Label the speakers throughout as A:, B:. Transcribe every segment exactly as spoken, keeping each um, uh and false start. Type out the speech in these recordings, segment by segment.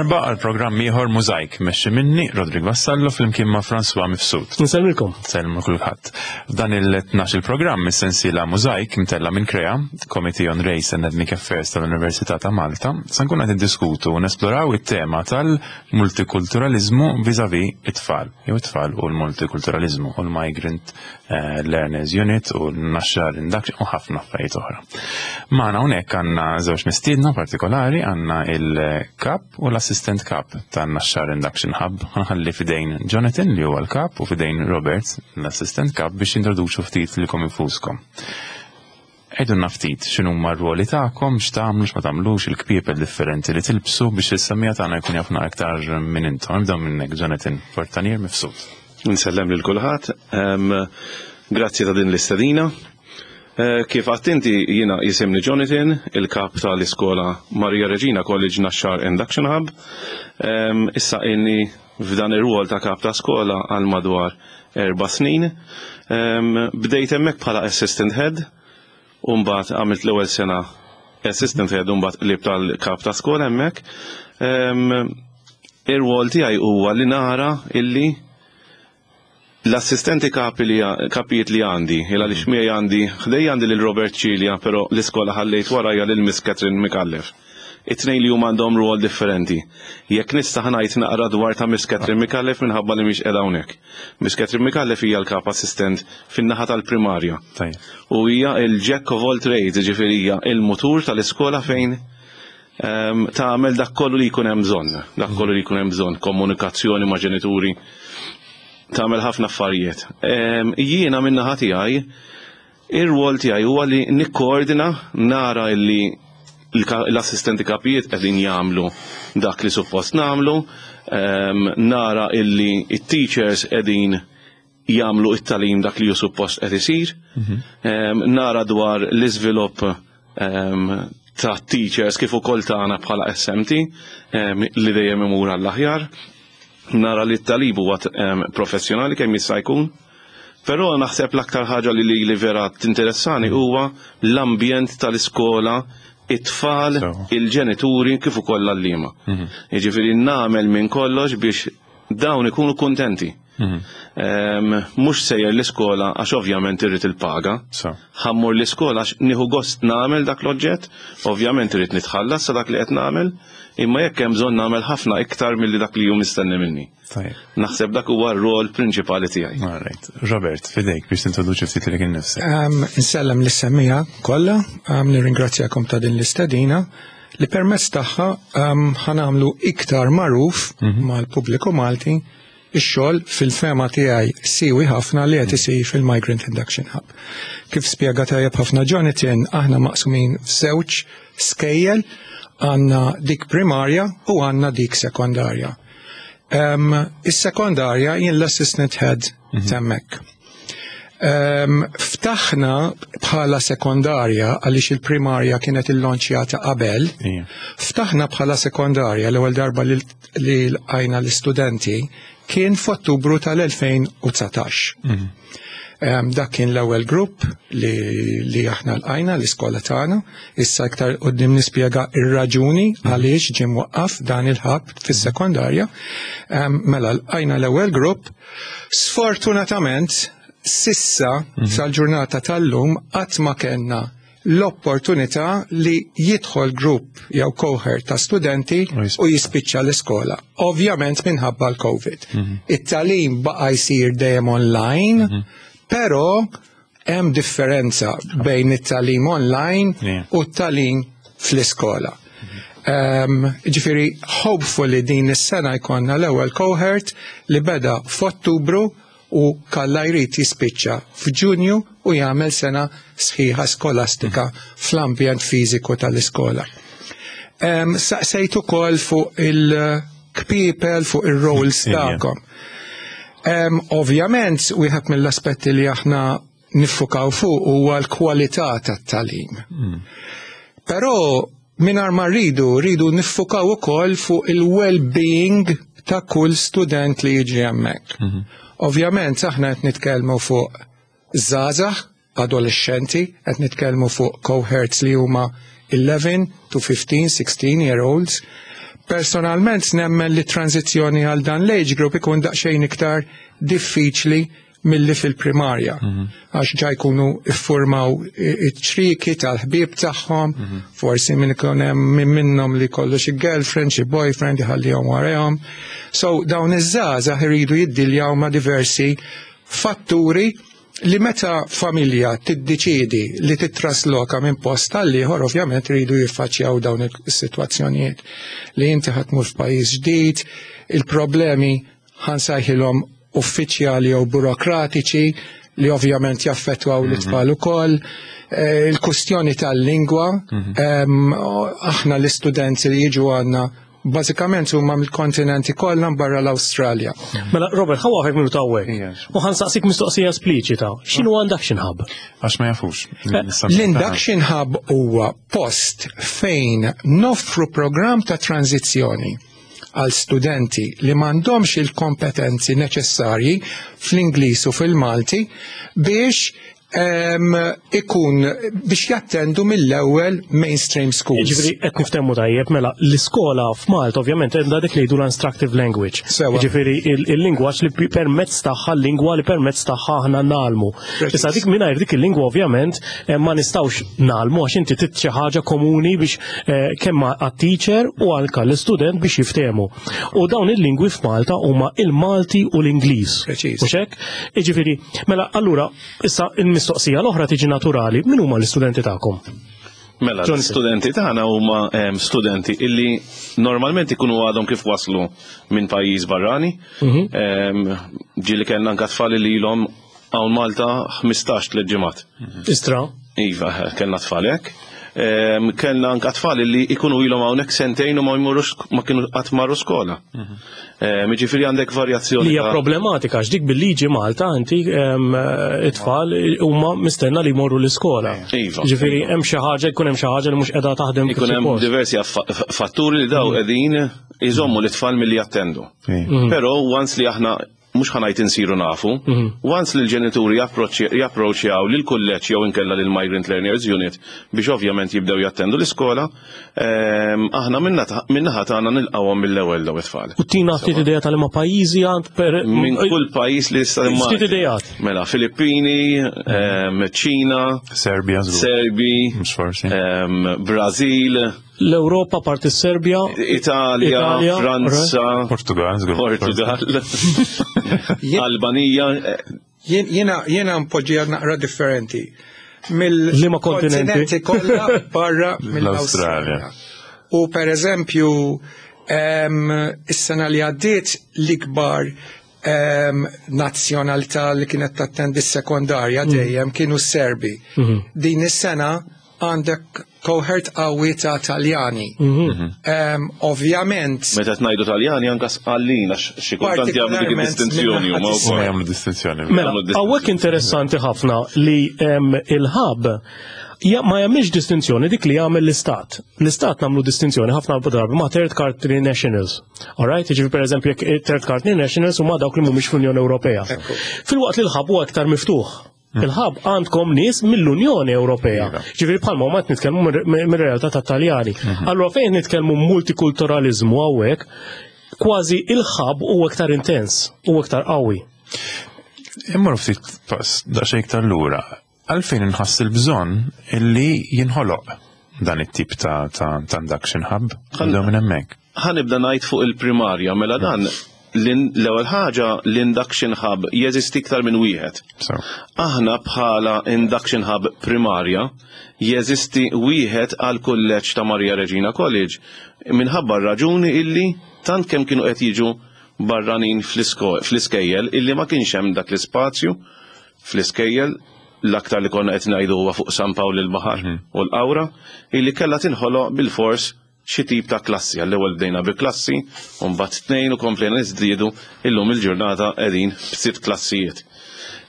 A: darba għal programm ieħor Mużajk, mexxi minni Rodrik Vassallo flimkien ma' François Mifsud.
B: Nsellmilkom.
A: Sellmu kulħadd. F'dan il-tnax il-programm is-sensiela Mużajk mtella minn Krea, Committee on Race and Ethnic Affairs tal-Università ta' Malta, sa nkun qed niddiskutu u nesploraw it-tema tal-multikulturalizmu vis-à-vis it-tfal, jew it-tfal u l-multikulturalizmu u l-Migrant eh, Learners Unit u l-Naxxar Induction u ħafna affarijiet oħra. Magħna hawnhekk għandna żewġ mistiedna partikolari, għandna il-kap u l-assistent kap tan-Naxxar Induction Hub. Ħanħalli fidejn Jonathan li huwa l-kap u fidejn Robert, l-assistent kap, biex introduċu ftit lilkom infuskom. Għidulna ftit x'inhuma r-ruoli tagħkom, x'tagħmlu, x'ma tagħmlux, il-kpiepel differenti li tilbsu biex is-semmiegħa tagħna jkun jafna aktar minn intom. Nibdew minnek Jonathan Fortanier Mifsud.
C: Nsellem lil kulħadd. Em, Grazzi ta' din l-istedina. Eh, Kif għedt inti, jiena jisimni Jonathan, il-kap tal-iskola Maria Regina College Naxxar Induction Hub. Em, Issa inni f'dan ir-rwol ta' kap ta' skola għal madwar erba' snin. Em, Bdejt hemmhekk bħala assistant head, u mbagħad għamilt l-ewwel sena assistant head u mbagħad qlibt tal-kap ta' skola hemmhekk. Em, Ir-rwol tiegħi huwa li nara illi l-assistenti kapi li kapijiet li għandi, il għaliex miegħi għandi, ħdej għandi lil Robert Cilia, però l-iskola ħallejt warajja lil Miss Catherine Micallef. It-tnejn li huma għandhom rwol differenti. Jekk nista' ngħid naqra dwar ta' Miss Catherine Micallef minħabba li mhix qiegħda hawnhekk. Miss Catherine Micallef hija l-kap assistent fin-naħa tal-primarja.
A: Tajjeb.
C: U hija il-jack of all trades, ġifieri hija il-mutur tal-iskola fejn em, tagħmel dak kollu li jkun hemm bżonn, dak kollu li jkun hemm bżonn, komunikazzjoni ma' ġenituri, tagħmel ħafna affarijiet. Em, Jiena min-naħa tiegħi, ir-rwol tiegħi huwa li nikkoordina, nara illi l-ka- l-assistenti kapijiet qegħdin jagħmlu dak li suppost nagħmlu, em, nara illi it-teachers qegħdin jagħmlu it-tagħlim dak li hu suppost qed isir, em, nara dwar l-iżvilupp em, ta' teachers kif ukoll tagħna bħala S M T em, li dejjem imur għall-aħjar, nara li t-tagħlim huwa em, professjonali kemm jista' jkun. Però naħseb l-aktar ħaġa li li, li vera tinteressani huwa l-ambjent tal-iskola, it-tfal,
A: So.
C: il-ġenituri kif ukoll l-għalliema. Jiġifieri nagħmel minn kollox biex dawn ikunu kuntenti. Em, Mhux sejjer l-iskola għax ovvjament irrid il-paga.
A: So.
C: Ħa mmur l-iskola għax nieħu gost nagħmel dak l-oġġett, ovvjament irrid nitħallas sa dak li qed nagħmel, imma jekk hemm bżonn nagħmel ħafna iktar milli dak li hu mistenni minni.
A: Tajjeb.
C: Naħseb dak huwa r-rol prinċipali tiegħi.
A: All right. Robert, fidejk biex tintroduċi ftit lilek innifsek.
D: Um, Nsellem lis-semmiegħa kollha, um, nirringrazzjakom ta' din l-istedina li permezz tagħha um, ħa nagħmlu iktar magħruf mal-pubbliku Malti ix-xogħol fil-fehma tiegħi siewi ħafna li qed isir fil-Migrant Induction Hub. Kif spjega tajjeb ħafna Jonathan, aħna maqsumin f'żewġ skejjel, għandna dik primarja u għandna dik sekondarja. Um, Is-sekondarja jien l-assistant head t'hemmhekk. Um, ftaħna bħala sekondarja għaliex il-primarja kienet il-launchjata qabel.
A: Ija.
D: Ftaħna bħala sekondarja, l-ewwel darba li li lqajna l-istudenti kien f'Ottubru tal-elfejn u dsatax. Um, dak kien l-ewwel grupp li, li aħna lqajna l-iskola tagħna. Issa iktar quddiem nispjega ir-raġuni għaliex ġie mwaqqaf dan il-hub fis-sekondarja. Um, mela lqajna l-ewwel grupp. Sfortunatament, s'issa sal-ġurnata tal-lum qatt ma kellna l-opportunità li jidħol grupp jew cohort ta' studenti
A: U jispiċċa.
D: u jispiċċa l-iskola. Ovvjament minħabba l-Covid. It-tagħlim baqa' jsir dejjem online, però hemm differenza bejn it-tagħlim online
A: Yeah.
D: u t-tagħlim fl-iskola. Um, ġifieri, hopefully din is-sena jkollna l-ewwel cohort li beda f'Ottubru u kalla jrid jispiċċa f'Ġunju u jagħmel sena sħiħa skolastika fl-ambjent fiżiku tal-iskola. Um, Saqsejt ukoll fuq il-kpiepel, fuq ir-roles
A: Ija.
D: tagħkom. Um, ovvjament, wieħed mill-aspetti li aħna niffukaw fuq huwa l-kwalità tat-tagħlim. Però mingħajr ma rridu, rridu niffukaw ukoll fuq il-well-being ta' kull student li jiġi hemmhekk. Ovvjament aħna qed nitkellmu fuq żgħażagħ, adolescenti, qed nitkellmu fuq cohorts li huma eleven to fifteen, sixteen year olds, Personalment nemmen li tranzizzjoni għal dan l-age group ikun daqsxejn iktar diffiċli milli fil-primarja. Għax ġa jkunu iffurmaw iċ-ċrieki tal-ħbieb tagħhom, forsi minn ikun hemm min minnhom li kollu xi girlfriend, xi boyfriend iħallihom warahom. So dawn iż-żgħażagħ iridu jiddiljaw ma' diversi fatturi li meta familja tiddeċidi li titrasloka minn post għal ieħor, ovvjament iridu jiffaċċjaw dawn is-sitwazzjonijiet. Li inti ħa tmur f'pajjiż ġdid, il-problemi ħa nsejħilhom uffiċjali jew burokratiċi li ovvjament jaffettwaw l-itfal ukoll. Eh, Il-kustjoni tal-lingwa, em, aħna l-istudenti li jiġu għandna bażikament huma mill-kontinenti kollha barra l-Awstralja.
B: Mela, Robert, ħa nwaqqfek minuta hawnhekk.
A: Yes.
B: U ħa nsaqsik mistoqsija espliċita. X'inhu Induction Hub?
A: Għax ma jafux.
D: L-Induction Hub huwa post fejn noffru program ta' tranzizzjoni għal studenti li m'għandhomx il-kompetenzi neċessarji fl-Ingliż u fil-Malti biex em, ikun biex jattendu mill-ewwel mainstream schools.
B: Ġifieri, qed niftehmu tajjeb, mela, l-iskola f'Malta ovvjament għandha dik li jgħidu l-instructive language.
D: Sewa.
B: Ġifieri, il- il-lingwaġġ li pi- permezz tagħha, l-lingwa li permezz tagħha aħna ngħallmu.
D: Preċiż.
B: Issa dik mingħajr dik il-lingwa ovvjament eh, ma nistgħux ngħallmu għax inti trid xi ħaġa komuni biex eh, kemm għat-teacher u anke l-istudent biex jiftehmu. U dawn il-lingwi f'Malta huma il-Malti u l-Ingliż.
D: Preċiż.
B: Mhux hekk? Jiġifieri, mela allura issa il-mistoqsija l-oħra tiġi naturali, min huma l-istudenti tagħkom?
C: Mela,
B: Jonathan.
C: l-studenti tagħna huma em, studenti illi normalment ikunu għadhom kif waslu minn pajjiż barrani. Em, Ġieli kellna anka tfal li ilhom hawn Malta ħmistax tliet ġimgħat.
B: Istra.
C: Iva, kellna tfal hekk. Em, Kellna anka tfal li ikunu ilhom hawnhekk sentejn u ma jmorrux ma kienu qatt marru skola. Em, Jiġifieri għandek varjazzjoni.
B: Li hija
C: ta'
B: problematika għax dik bil-liġi Malta inti em, it-tfal huma mistenna li jmorru l-iskola.
C: Iva.
B: Ġifieri hemm xi ħaġa jkun hemm xi ħaġa li mhux qiegħda taħdem kif
C: Ikun hemm
B: suppost.
C: diversi affa- fatturi li daw qegħdin iżommu l-itfal milli jattendu. Però once li aħna mhux ħa ngħid insiru nafu, once li l-ġenituri japproċċjaw lil kulleġġ jew inkella lil Migrant Learners Unit biex ovvjament jibdew jattendu l-iskola, ehm, aħna minnaħa tagħna nilqawhom mill-ewwel daw it-tfal.
B: U tina ftit idea tal-ma pajjiżi għand per
C: Minn kull pajjiż li jista'
B: Ftit idejat.
C: Mela, Filippini, ehm, Ċina,
A: Serbia, żgur.
C: Serbi,
A: Mhux forsi.
C: ehm, Brażil,
B: L-Ewropa parti Serbja,
C: Italja,
B: Italja,
C: Franza,
A: Portugal, żgur.
C: Portugal, Albanija, eh,
D: Jien- Jiena jiena npoġġiha naqra differenti.
B: Liema kontinenti?
D: Mill-kontinenti kollha barra
A: L-Awstralja.
D: mill-Awstralja. U per eżempju, em, is-sena li għaddiet l-ikbar em, nazzjonalità li kienet tattendi s-sekondarja dejjem kienu Serbi. Din is-sena għandek cohort qawwi ta' Taljani. Em, Ovvjament,
C: Meta tnajdu Taljani anka sqallin għax xi kultant jagħmlu dik
D: Partikolarment
C: id-distinzjoni huma
D: minnaħa
A: Ma
C: wkoll.
A: jagħmlu distinzjoni.
B: Mela,
C: Jagħmlu distinzjoni.
B: hawnhekk interessanti ħafna li em, il-hub ja, ma jagħmilx distinzjoni dik li jagħmel l-istat. L-istat nagħmlu distinzjoni ħafna drabi ma' third country nationals. Alright, jiġifieri per eżempju jekk third country nationals huma dawk li mhumiex fl-Unjoni Ewropea.
D: Ekku.
B: Filwaqt li l-hub huwa aktar miftuħ. Il-hub għandkom nies mill-Unjoni Ewropea.
A: Iva.
B: Ġifieri bħalma huma qed nitkellmu mir- mir-realtà tat-Taljani. Allura fejn nitkellmu multikulturalizmu hawnhekk, kważi il-hub huwa aktar intens, huwa aktar qawwi.
A: Immorru ftit pass daqsxejn iktar lura. Għalfejn inħass il-bżonn illi jinħoloq dan it-tip ta' ta' ta' induction hub. Nibdew minn hemmhekk.
C: Ħa nibda ngħid fuq il-primarja, mela dan l- l-ewwel ħaġa l-induction hub jeżisti iktar minn wieħed.
A: So,
C: Aħna bħala induction hub primarja jeżisti wieħed għal kulleġġ ta' Maria Regina College minħabba r-raġuni illi tant kemm kienu qed jiġu barranin fl-isko- fl-iskejjel illi ma kienx hemm dak l-ispazju fl-iskejjel, l-aktar li konna qed ngħidu huwa fuq San Pawl il-Baħar u l-Qawra, illi kellha tinħoloq bil-fors xi tip ta' klassi. Għall-ewwel bdejna bi klassi, u mbagħad tnejn u komplejna niżdiedu, illum il-ġurnata qegħdin b'sitt klassijiet.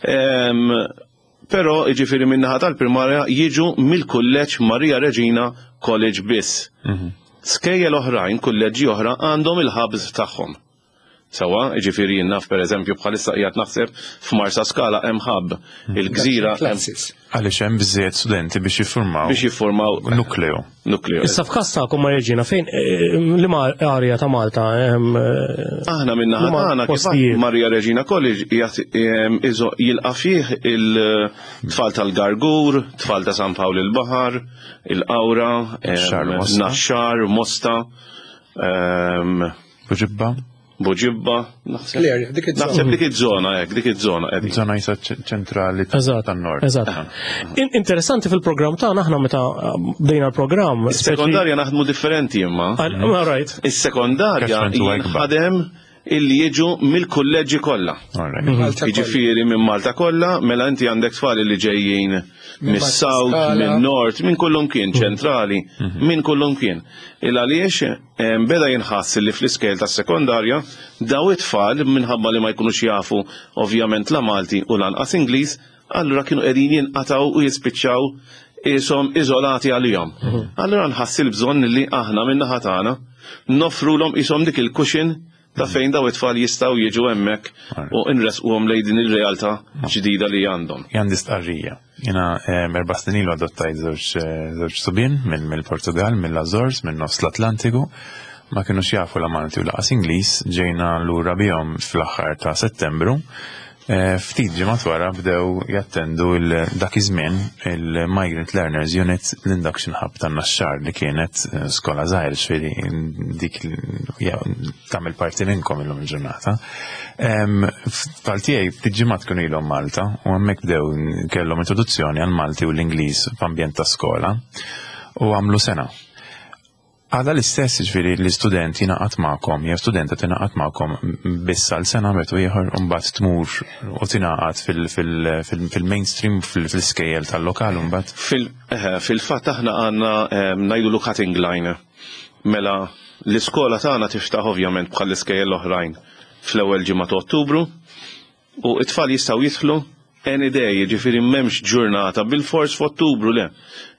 C: Em, Però jiġifieri min-naħa tal-primarja jiġu mill-kulleġġ Maria Regina College biss. Skejjel oħrajn, kulleġġi oħra għandhom il-hubs tagħhom. Sewwa, ġifieri naf per eżempju bħalissa qiegħed naħseb f'Marsa Skala hemm hub, il-Gżira hemm
D: Classes.
A: Għaliex hemm biżejjed studenti biex jiffurmaw
C: biex jiffurmaw
A: nukleu.
C: nukleu.
B: Issa f'każ tagħkom Maria Regina, fejn eh, liema area ta' Malta hemm, eh,
C: Aħna minna
B: Huma
C: ħatana kif
B: postijiet.
C: Maria Regina College qiegħed, em, iżo- jilqa' fih il-tfal tal-Gargur, tfal ta' San Pawl il-Baħar, il-Qawra, em,
A: Naxxar, Mosta.
C: Naxxar, Mosta, em,
A: Buġibba,
C: Buġibba, naħseb.
D: L-area, dik iż-żona.
C: Naħseb dik iż-żona hekk, dik iż-żona qegħdin.
A: zona jisa ċentrali
B: Eżatt,
A: tan-nord.
B: eżatt. In- Interessanti fil-programm tagħna aħna meta eh, bdejna l-programm.
C: Is-sekondarja naħdmu differenti imma.
B: All right.
C: Is-sekondarja
A: Catchment huwa ikbar.
C: jinħadem illi jiġu mill-kulleġġi kollha.
A: All right.
D: Malta kollha.
C: Jiġifieri minn Malta kollha, mela inti għandek tfal li ġejjin mis-South,
D: Skala.
C: minn North, minn kullum kien, ċentrali, minn kullum kien. Il għaliex em, beda jinħass li fl-iskejjel tas-sekondarja daw it-tfal minħabba li ma jkunux jafu ovvjament la Malti u lanqas Ingliż, allura kienu qegħdin jinqataw u jispiċċaw isom iżolati għalihom. Allura nħass il-bżonn li aħna min-naħa tagħna noffrulhom isom dik il-cushion ta' fejn daw it-tfal jistgħu jiġu hemmhekk u nresquhom lejn din ir-realtà ġdida li għandhom.
A: Għandi stqarrija. Jiena erba' snin ilu adottajt żewġ eh, żewġ subien minn mill-Portugal, mill-Azores, minn nofs l-Atlantiku. Ma kienux jafu la Malti u lanqas Ingliż, ġejna lura bihom fl-aħħar ta' Settembru. Eh, Ftit ġimgħat wara bdew jattendu il- dak iż-żmien il-Migrant Learners Unit, l-Induction Hub tan-Naxxar, li kienet eh, skola żgħir, ġifieri dik l- ja, tagħmel parti minnkom illum il-ġurnata. Em, Tfal tiegħi ftit ġimgħat kienu ilhom Malta u hemmhekk bdew kellhom introduzzjoni għal Malti u l-Ingliż f'ambjent ta' skola u għamlu sena. Għada l-istess, ġifieri l-istudent jingħaqad magħkom, jew studenta tingħaqad magħkom biss għal sena betu ieħor u mbagħad tmur u tingħaqad fil-mainstream, fil-skejjel tal-lokal mbagħad.
C: Fil- eh, Fil-fatt aħna għandna em, ngħidu cutting line. Mela l-iskola tagħna tiftaħ ovvjament bħal l-iskejjel l-oħrajn fl-ewwel ġimgħa ta' Ottubru u it-tfal jistgħu jidħlu any day, jiġifieri m'hemmx ġurnata bil-fors f'Ottubru, le.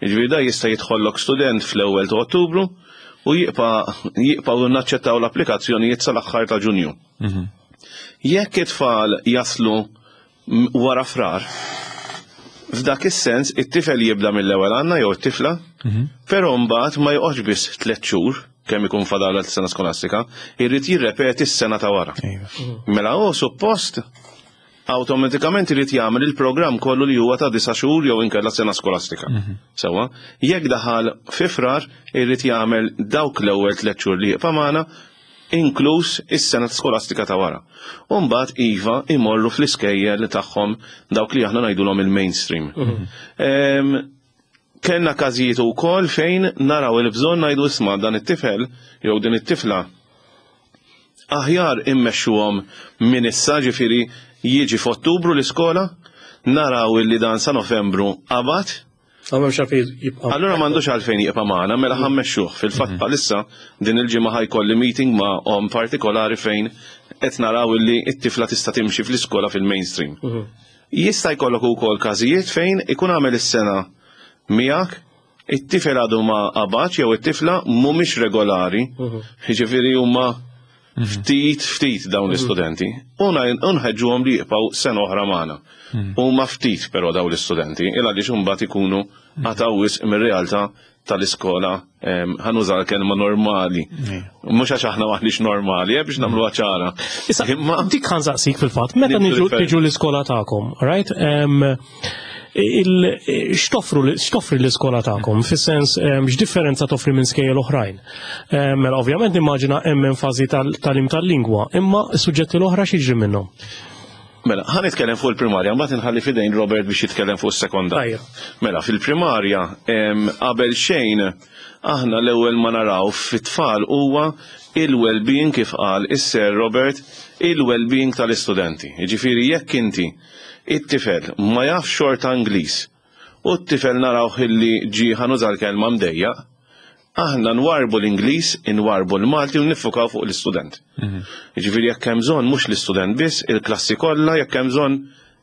C: Jiġifieri da jista' jidħollok student fl-ewwel ta' Ottubru u jibqa' jibqgħu naċċettaw l-applikazzjonijiet sal-aħħar ta' Ġunju. Jekk it-tfal jaslu m- wara Frar, f'dak is-sens it-tifel jibda mill-ewwel għandna jew it-tifla, però mbagħad ma joqgħodx biss tliet xhur kemm ikun fadal sena skolastika, irrid jirrepeti s-sena ta' wara.
A: Iva.
C: Mela hu suppost awtomatikament irid jagħmel il-programm kollu li huwa ta' disa' xhur jew inkella sena skolastika. Sewwa, jekk daħal fi Frar, irid jagħmel dawk l-ewwel tliet xhur li jibqa' magħna, inkluż is-sena skolastika ta' wara. U mbagħad iva imorru fl-iskejjel tagħhom, dawk li aħna ngħidulhom il-mainstream. Em, Kellna każijiet ukoll fejn naraw il-bżonn ngħidu, "Isma', dan it-tifel jew din it-tifla aħjar immexxuhom minn issa," ġifieri jiġi f'Ottubru l-iskola, naraw illi dan sa Novembru qabad,
B: Għamem xafi jibqa.
C: Allura m'għandux għalfejn jibqa' magħna, mela ħa mmexxuh. Fil-fatt bħalissa din il-ġimgħa ħa jkolli meeting ma' om partikolari fejn qed naraw illi t-tifla tista' timxi fl-iskola fil-mainstream. Jista' jkollok ukoll każijiet fejn ikun għamel is-sena miegħek, it-tifel għadu ma qabadx jew it-tifla mhumiex regolari, jiġifieri huma ftit ftit dawn l-istudenti. U nħeġġuhom li jibqgħu sena oħra magħna. Huma ftit però dawn l-istudenti, il għaliex imbagħad ikunu qatgħu wisq mir-realtà tal-iskola, em, ħa nuża l-kelma normali. Mhux għax aħna maħniex normali, eh, biex nagħmluha ċara.
B: Issa,
C: Imma
B: dik ħa nsaqsik fil-fatt, meta
C: Nibdu
B: niġu
C: differenti.
B: niġu l-iskola tagħkom, right? Em, il- X'toffru x'toffri l-iskola tagħkom? Fis-sens em, x'differenza toffri minn skejjel oħrajn? Em, Mela ovvjament nimmaġina hemm enfasi tal-tagħlim tal-lingwa, imma s-suġġetti l-oħra x'jiġri minnhom?
C: Mela, ħa nitkellem fuq il-primarja, mbagħad inħalli fidejn Robert biex jitkellem fuq is-sekondarja.
B: Tajjeb.
C: Mela, fil-primarja, em, qabel xejn, aħna l-ewwel ma naraw fit-tfal huwa il-well-being, kif qal is-Sir Robert, il-well-being tal-istudenti. Jiġifieri jekk inti it-tifel ma jafx xorta Ingliż u t-tifel naraw illi ġi, ħa nuża l-kelma, mdejjaq, aħna nwarbu l-Ingliż, nwarbu l-Malti u niffukaw fuq l-istudent. Jiġifieri jekk hemm bżonn mhux l-istudent biss, il-klassi kollha, jekk hemm bżonn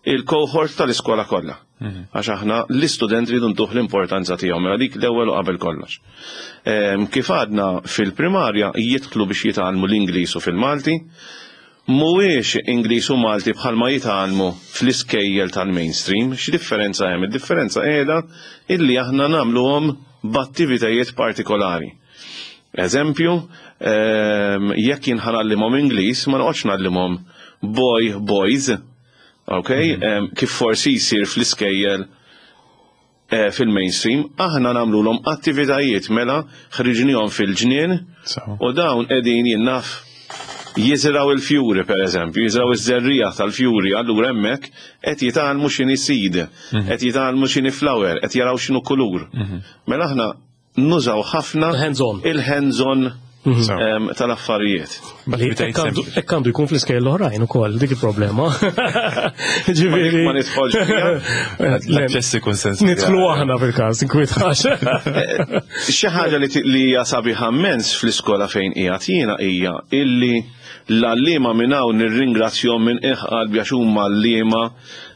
C: il-cohort tal-iskola kollha. Għax aħna l-istudent rridu ntuh l-importanza tiegħu, mela dik l-ewwel u qabel kollox. Ehm, Kif għadna, fil-primarja jidħlu biex jitgħallmu l-Ingliż u fil-Malti, Mhuwiex Ingliż u Malti bħalma jitgħallmu fl-iskejjel tal-mainstream. X'differenza hemm? Id-differenza qiegħda illi aħna nagħmluhom b'attivitajiet partikolari. Eżempju, ehm, jekk jien ħa ngħallimhom Ingliż, ma noqgħodx ngħallimhom boy boys, ok? Ehm, kif forsi jsir fl-iskejjel eh, fil-mainstream, aħna nagħmluhom attivitajiet, mela ħriġnihom fil-ġnien
A: So.
C: u dawn qegħdin, jien naf, jiżraw il-fjuri, per eżempju, jiżraw iż-żerrija tal-fjuri, allura hemmhekk qed jitgħallmu x'inhi seed, qed jitgħallmu x'inhi flower, qed jaraw x'inhu kulur. Mela aħna nużaw ħafna
B: Hands-on.
C: il-hands-on
A: So.
C: em, tal-affarijiet.
B: Li
A: B'attivitajiet
B: hekk għandu-
A: sempliċi.
B: hekk għandu jkun fl-iskejjel l-oħrajn ukoll, dik il-problema. Ġifieri.
C: Ma nidħolx fiha.
A: L-aċċess ikun sens.
B: Nidħlu aħna fil-każ, inkwitax.
C: Xi ħaġa li li hija sabiħa immens fl-iskola fejn qiegħed jiena hija illi l-għalliema, minn hawn nirringrazzjahom minn qiegħ qalbi għax huma għalliema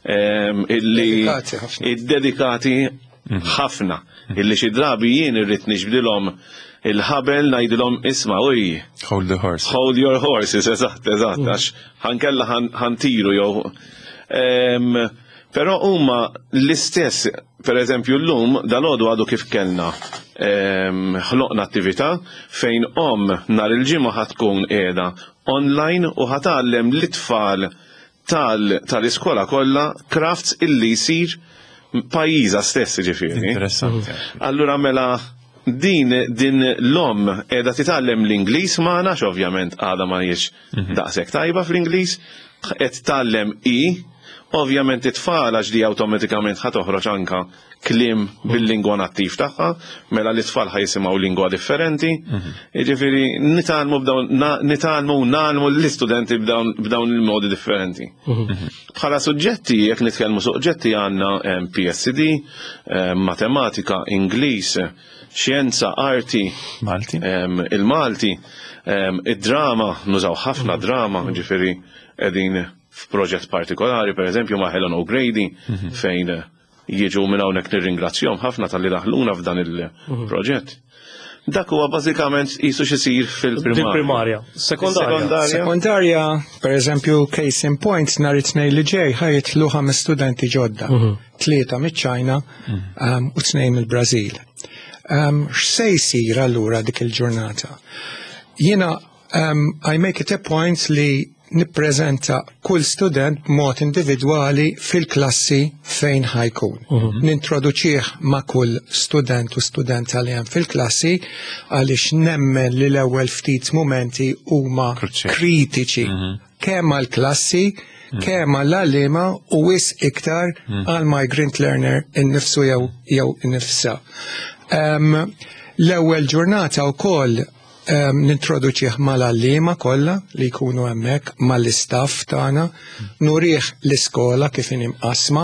C: em, illi
D: Dedikati ħafna.
C: Iddedikati ħafna, illi xi drabi jien irrid niġbdilhom il-ħabel, ngħidilhom, "Isma' uj,
A: Hold the horse.
C: Hold your horses," eżatt, eżatt, għax ħankella ħan tiru jew. Em, Però huma l-istess, per eżempju l-lum, dal-għodu għadu kif kellna em, ħloqna attività fejn om nhar il-ġimgħa ħa tkun qiegħda online u ħa tgħallem l-itfal tal- tal-iskola kollha crafts illi jsir pajjiżha stess, ġifieri.
A: Interessanti.
C: Allura mela din din l-om qiegħda titgħallem l-Ingliż magħna, ovvjament għadha ma hijiex daqshekk tajba fl-Ingliż, qed tgħallem i, ovvjament it-tfal, għax di awtomatikament ħa toħroġ anka kliem bil-lingwa nattiv tagħha, mela l-itfal ħa jisimgħu lingwa differenti. Jiġifieri nitgħallmu b'dawn na- nitgħallmu u ngħallmu l-istudenti b'dawn b'dawn il-modi differenti. Bħala suġġetti, jekk nitkellmu suġġetti, għandna em, P S C D, em, matematika, Ingliż, xjenza, arti,
A: Malti?
C: em, il-Malti, em, id-drama, nużaw ħafna drama, ġifieri qegħdin f'proġett partikolari, per eżempju ma' Helen O'Grady, fejn jiġu minn hawnhekk, nirringrazzjahom ħafna talli daħluna f'dan il-proġett. Dak huwa bażikament qisu x'isir fil-primarja.
B: Primarja. Sekondarja.
C: Sekondarja.
D: Sekondarja, per eżempju, case in point, nhar it-Tnejn li ġej ħa jitilgħu ħames studenti ġodda. Tlieta miċ-Ċajna um, u tnejn mill-Brażil. Um, X'se jsir allura dik il-ġurnata? Jiena um, I make it a point li nippreżenta kull student b'mod individwali fil-klassi fejn ħa jkun. Nintroduċih ma' kull student u studenta li hemm fil-klassi, għaliex nemmen li l-ewwel ftit momenti huma
A: Kruċjali.
D: kritiċi kemm għall-klassi, kemm għall-għalliema u wisq iktar għal migrant learner innifsu jew jew innifsa. Um, L-ewwel ġurnata wkoll um, nintroduċih mal-għalliema kollha li jkunu hemmhekk, mal-istaff tagħna, nurih l-iskola kif inhi mqassma,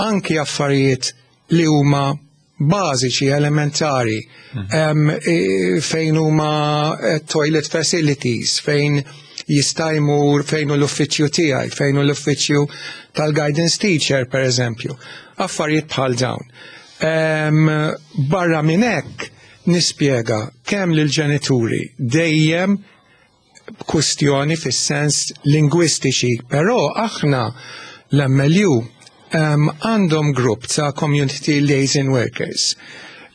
D: anki affarijiet li huma bażiċi, elementari, um, e, fejn huma eh, toilet facilities, fejn jista' jmur, fejn hu l-uffiċċju tiegħi, fejn hu l-uffiċċju tal-guidance teacher, per eżempju. Affarijiet bħal dawn. Um, barra minn hekk nispjega kemm lill-ġenituri dejjem kustjoni fis-sens lingwistiċi, però aħna l-M L U um, għandhom grupp ta' community liaison workers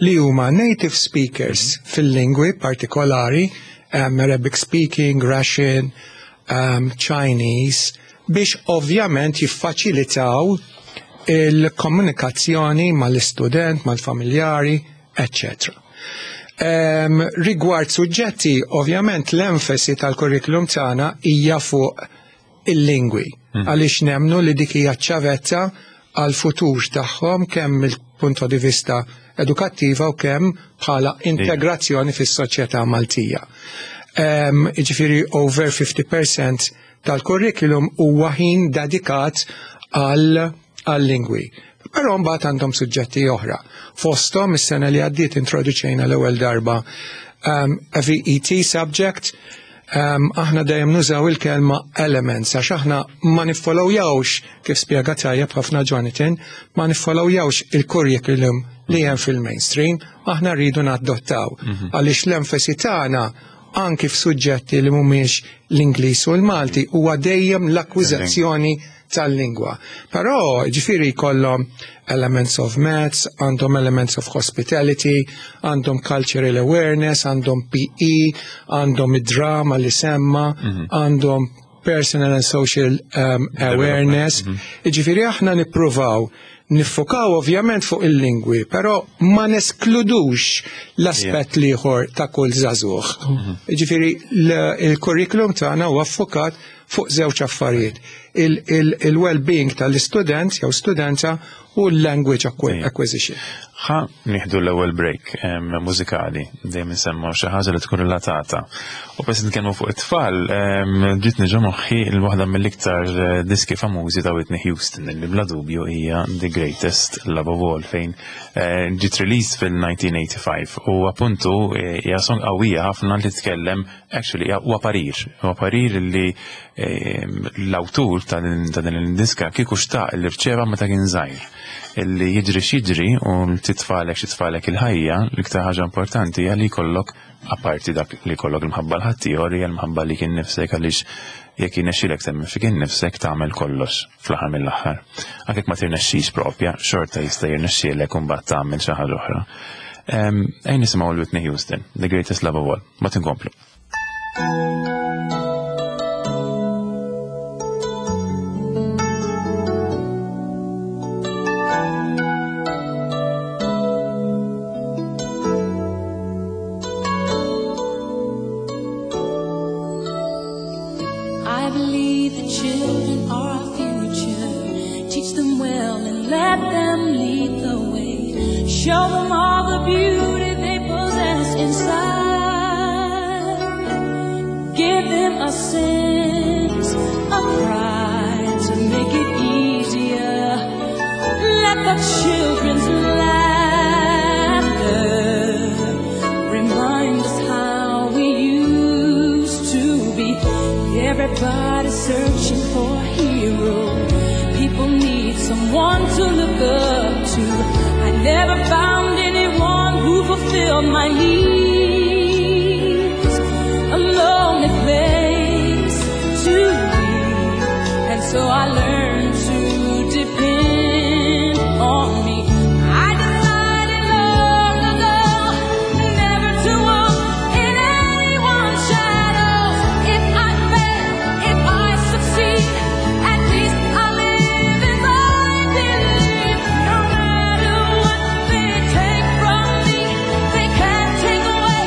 D: li huma native speakers fil-lingwi partikolari, um, Arabic speaking, Russian, um, Chinese, biex ovvjament jiffaċilitaw il-komunikazzjoni mal-istudent, mal-familjari, eccetera. Um, rigward suġġetti, ovvjament l-enfasi tal-kurrikulum tagħna hija fuq il-lingwi, għaliex nemnu li dik hija ċavetta għal futur tagħhom, kemm mill-punto di vista edukattiva u kemm bħala integrazzjoni fis-soċjetà Maltija. Um, Ġifieri over fifty percent tal-kurrikulum huwa ħin dedikat għal għal-lingwi. Però mbagħad għandhom suġġetti oħra. Fosthom, is-sena li għaddiet introduċejna l-ewwel darba um, a V E T subject. um, aħna dejjem nużaw il-kelma elements għax aħna ma niffollowjawx, kif spjega tajjeb ħafna Jonathan, ma niffollowjawx il-curriculum li hemm fil-mainstream, aħna rridu nadottaw. Għaliex l-enfasi tagħna anki f'suġġetti li mhumiex l-Ingliż u l-Malti, huwa dejjem l-akkwiżazzjoni tal-lingwa. Però ġifieri jkollhom elements of maths, għandhom elements of hospitality, għandhom cultural awareness, għandhom P E, għandhom id-drama li semma, għandhom personal and social um, awareness. Ġifieri aħna nippruvaw niffokaw ovvjament fuq il-lingwi, però ma neskludux l-aspett l-ieħor ta' kull żagħżugħ. Ġifieri l- il-curriculum tagħna huwa ffokat fuq żewġ affarijiet: Il-well-being tal-istudent jew studenta u l-language acqui-
A: Ejja.
D: acquisition.
A: Ħa nieħdu l-ewwel break em, mużikali, dejjem insemmu xi ħaġa li tkun relatata. U bes nitkellmu fuq it-tfal, em, ġietni ġo moħħi l-waħda mill-iktar eh, diski famużi ta' Whitney Houston, li bla dubju hija The Greatest Love of All, fejn eh, ġiet released fil-elf disa' mija u tmienja u ħamsin u appuntu eh, hija song qawwija ħafna li tkellem, actually huwa parir, huwa parir li eh, l-awtur ta' din ta' din il-diska kieku xtaq li rċeva meta kien żgħir, illi jiġri x'jiġri u titfalek x'titfalek il-ħajja, l-iktar ħaġa importanti hija li jkollok, apparti dak li jkollok l-mħabba 'l ħaddieħor, hija l-mħabba lilek innifsek, għaliex jekk jirnexxilek temmen fik innifsek tagħmel kollox fl-aħħar mill-aħħar. Anke jekk ma tirnexxix propja, xorta jista' jirnexxielek u mbagħad tagħmel xi ħaġa oħra. Ejja nisimgħu l-Whitney Houston, The Greatest Love of All. Ma tinkomplu.
E: I believe that children are our future. Teach them well and let them lead the way. Show them all the beauty they possess inside. Give them a sense of pride to make it easier. Let the children's laughter remind us how we used to be. Everybody's searching for a hero. People need someone to look up to. I never found anyone who fulfilled my needs. A lonely place to be. And so I learned to depend on me. I decided long ago never to walk in anyone's shadow. If I fail, if I succeed, at least I live as I believe. No matter what they take from me, they can't take away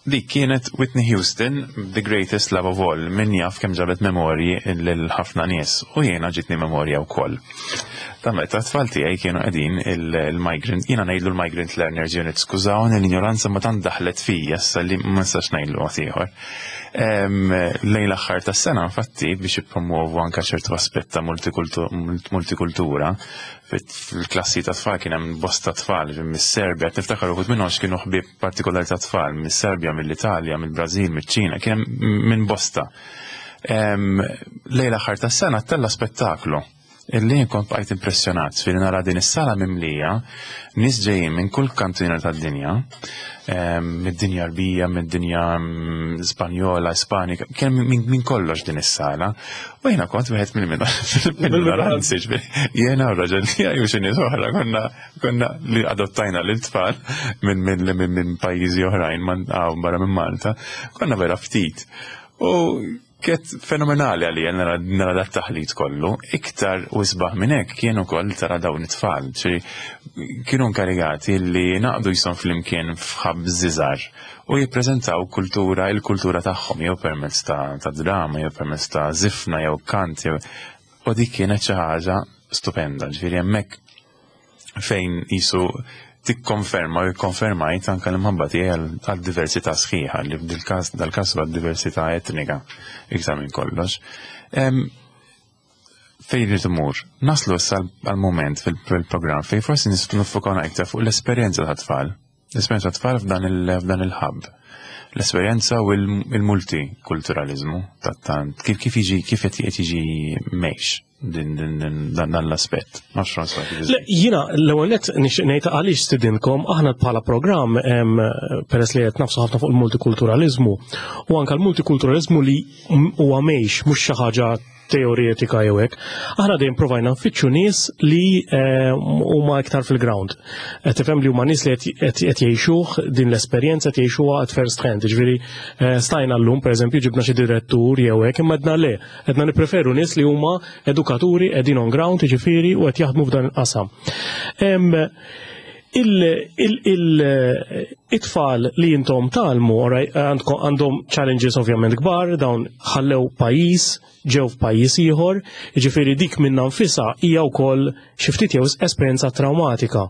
A: Dik kienet Whitney Houston, The Greatest Love of All, min jaf kemm ġabet memorji lil ħafna nies u jiena ġitni memorja wkoll. Ta' meta t-tfal tiegħi kienu qegħdin il-migrant, jiena ngħidlu l-Migrant Learners Unit, skużawni l-ignoranza ma tant daħlet fija issa li ma nistax ngħidlu mod ieħor. Lejn l-aħħar tas-sena infatti biex jippromuovu anke ċertu aspett ta' multikultura fil-klassi ta' tfal kien hemm bosta tfal mis-Serbja, niftakar uħud minnhom kienu ħbieb partikolari ta' tfal mis-Serbja, mill-Italja, mill-Brażil, miċ-Ċina, kien hemm minn bosta. Lejn l-aħħar tas-sena tella spettaklu illi kont bqajt impressjonat fil nara din is-sala mimlija nies ġejjin minn kull kantina tad-dinja, mid-dinja Arbija, mid-dinja Spanjola, Ispanika, kien minn kollox din is-sala. U jiena kont wieħed mill-minoranzi, jiena u raġel tiegħi u xi nies oħra konna konna li adottajna lil tfal minn minn pajjiżi oħrajn barra minn Malta, konna vera ftit. U kiet fenomenali għalija nara, nara dat taħlit kollu, iktar u isbaħ minn hekk kienu ukoll tara dawn it-tfal, ċi kienu inkarigati li naqdu jisom flimkien f'hubs żgħar u jippreżentaw kultura, il-kultura tagħhom jew permezz ta', ta' drama, jew permezz ta' zifna, jew kant, jew u dik kienet xi ħaġa stupenda, ġifieri hemmhekk fejn jisu tikkonferma u jikkonfermajt anka l-imħabba tiegħi għal-diversità sħiħa li f'dil-każ dal-każ huwa diversità etnika iktar minn kollox. Fejn irid imur? Naslu issa għal-moment fil-programm fejn forsi niffukaw iktar fuq l-esperjenza ta' tfal. L-esperjenza ta' tfal f'dan il-hub. L-esperjenza u il-multikulturalizmu ta' kif kif jiġi kif qed jiġi mgħix din din dan l-aspett.
B: Le, jiena l-ewwel nett nixtieq ngħid għaliex stidinkom aħna bħala programm peress li qed nafsu ħafna fuq il-multikulturalizmu u anke l-multikulturalizmu li huwa mgħix mhux xi ħaġa teoretika jew hekk. Aħna dejjem provajna nfittxu nies li huma iktar fil-ground. Qed tifhem li huma nies li qed jgħixuh din l-esperjenza qed jgħixuha at first hand. Ġifieri stajna llum pereżempju ġibna xi direttur jew hekk imma għedna le, qedna nippreferu nies li huma edukaturi qegħdin on ground jiġifieri u qed jaħdmu f'dan il-qasam. Il-tfal li jintom tgħallmu għandhom challenges ovvjament kbar, dawn ħallew pajjiż, ġew f'pajjiż ieħor, jiġifieri dik minnha nfisha hija wkoll xi ftit jew esperjenza traumatika.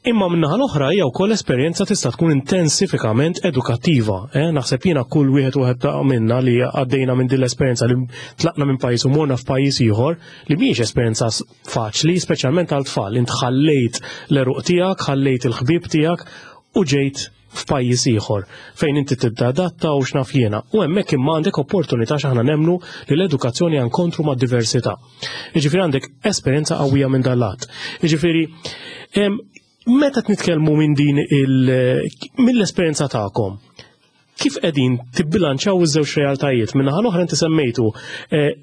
B: Imma min-naħa l-oħra hija wkoll esperjenza tista' tkun intensifikament edukattiva. Eh? Naħseb jiena kull wieħed wieħed minna li għaddejna minn din l-esperjenza li tlaqna minn pajjiż u morna f'pajjiż ieħor li mhijiex esperjenza faċli, speċjalment għal tfal. Int ħallejt l-għeruq tiegħek, ħallejt il-ħbieb tiegħek u ġejt f'pajjiż ieħor fejn inti tibda adatta u x'naf jiena. U hemmhekk imma għandek opportunità x'aħna nemmnu li l-edukazzjoni inkontru mad-diversità. Jiġifieri għandek esperjenza qawwija minn dal-lat. Jiġifieri meta nitkellmu minn din il mill-esperjenza tagħkom, kif qegħdin tibbilanċaw iż-żewġ realtajiet? Min-naħa l-oħra inti semmejtu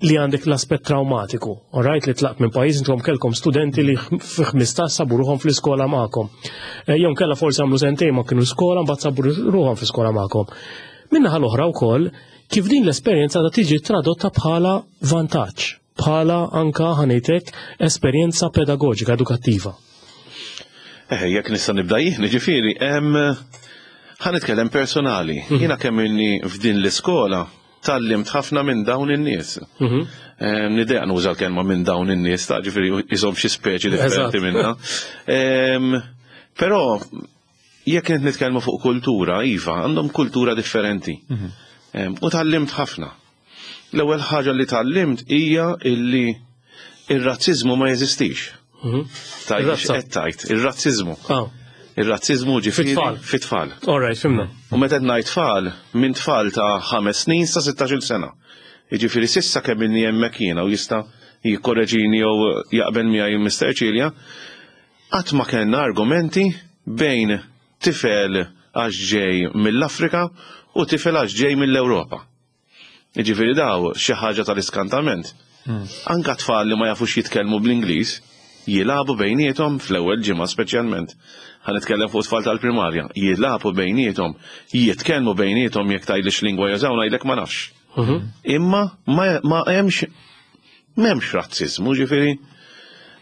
B: li għandek l-aspett traumatiku, alright, li tlaqt minn pajjiż intom kellkom studenti li fi ħmistax sabu ruħhom fl-iskola magħkom. Jew kellha forsi għamlu sentejn ma kienu skola mbagħad sabu ruħhom fl-iskola magħkom. Min-naħa l-oħra wkoll kif din l-esperjenza ta' tiġi tradotta bħala vantaġġ, bħala anka ħanejtek esperjenza pedagogika edukattiva.
C: Eh, jekk nista' nibda jien, ġifieri, ħa nitkellem personali.
B: Mhm.
C: Jiena kemm inni f'din l-iskola tgħallimt ħafna minn dawn in-nies.
B: Mhm.
C: Nidejaq nuża l-kelma minn dawn in-nies, ta' ġifieri jisom xi speċi differenti
B: Eżatt.
C: minna. Però jekk qed nitkellmu fuq kultura, iva, għandhom kultura differenti.
A: Mhm.
C: U tgħallimt ħafna. L-ewwel ħaġa li tgħallimt hija illi ir-razziżmu ma jeżistix.
B: Mhm.
C: Tajt,
B: Ir-razza.
C: qed tajt, ir-razziżmu.
B: Ah.
C: Ir-razziżmu ġifieri
B: Fit-tfal.
C: fit-tfal.
B: All right, fhimna.
C: U meta qed ngħid tfal, minn tfal ta' ħames snin sa sittax-il sena. Jiġifieri s'issa kemm inni hemmhekk jiena u jista' jikkorreġini jew jaqbel miegħi Mister Cilia, qatt ma kellna argumenti bejn tifel għax ġej mill-Afrika u tifel għax ġej mill-Ewropa. Jiġifieri daw xi ħaġa tal-iskantament.
A: Hmm.
C: Anka tfal li ma jafux jitkellmu bl-Ingliż jilagħbu bejniethom fl-ewwel ġimgħa speċjalment. Ħa nitkellem fuq tfal tal-primarja, jilagħbu bejniethom, jitkellmu bejniethom jekk tgħidli x'lingwa jużaw ngħidlek ma nafx.
B: Mhm.
C: Imma ma, ma hemmx m'hemmx razziżmu, ġifieri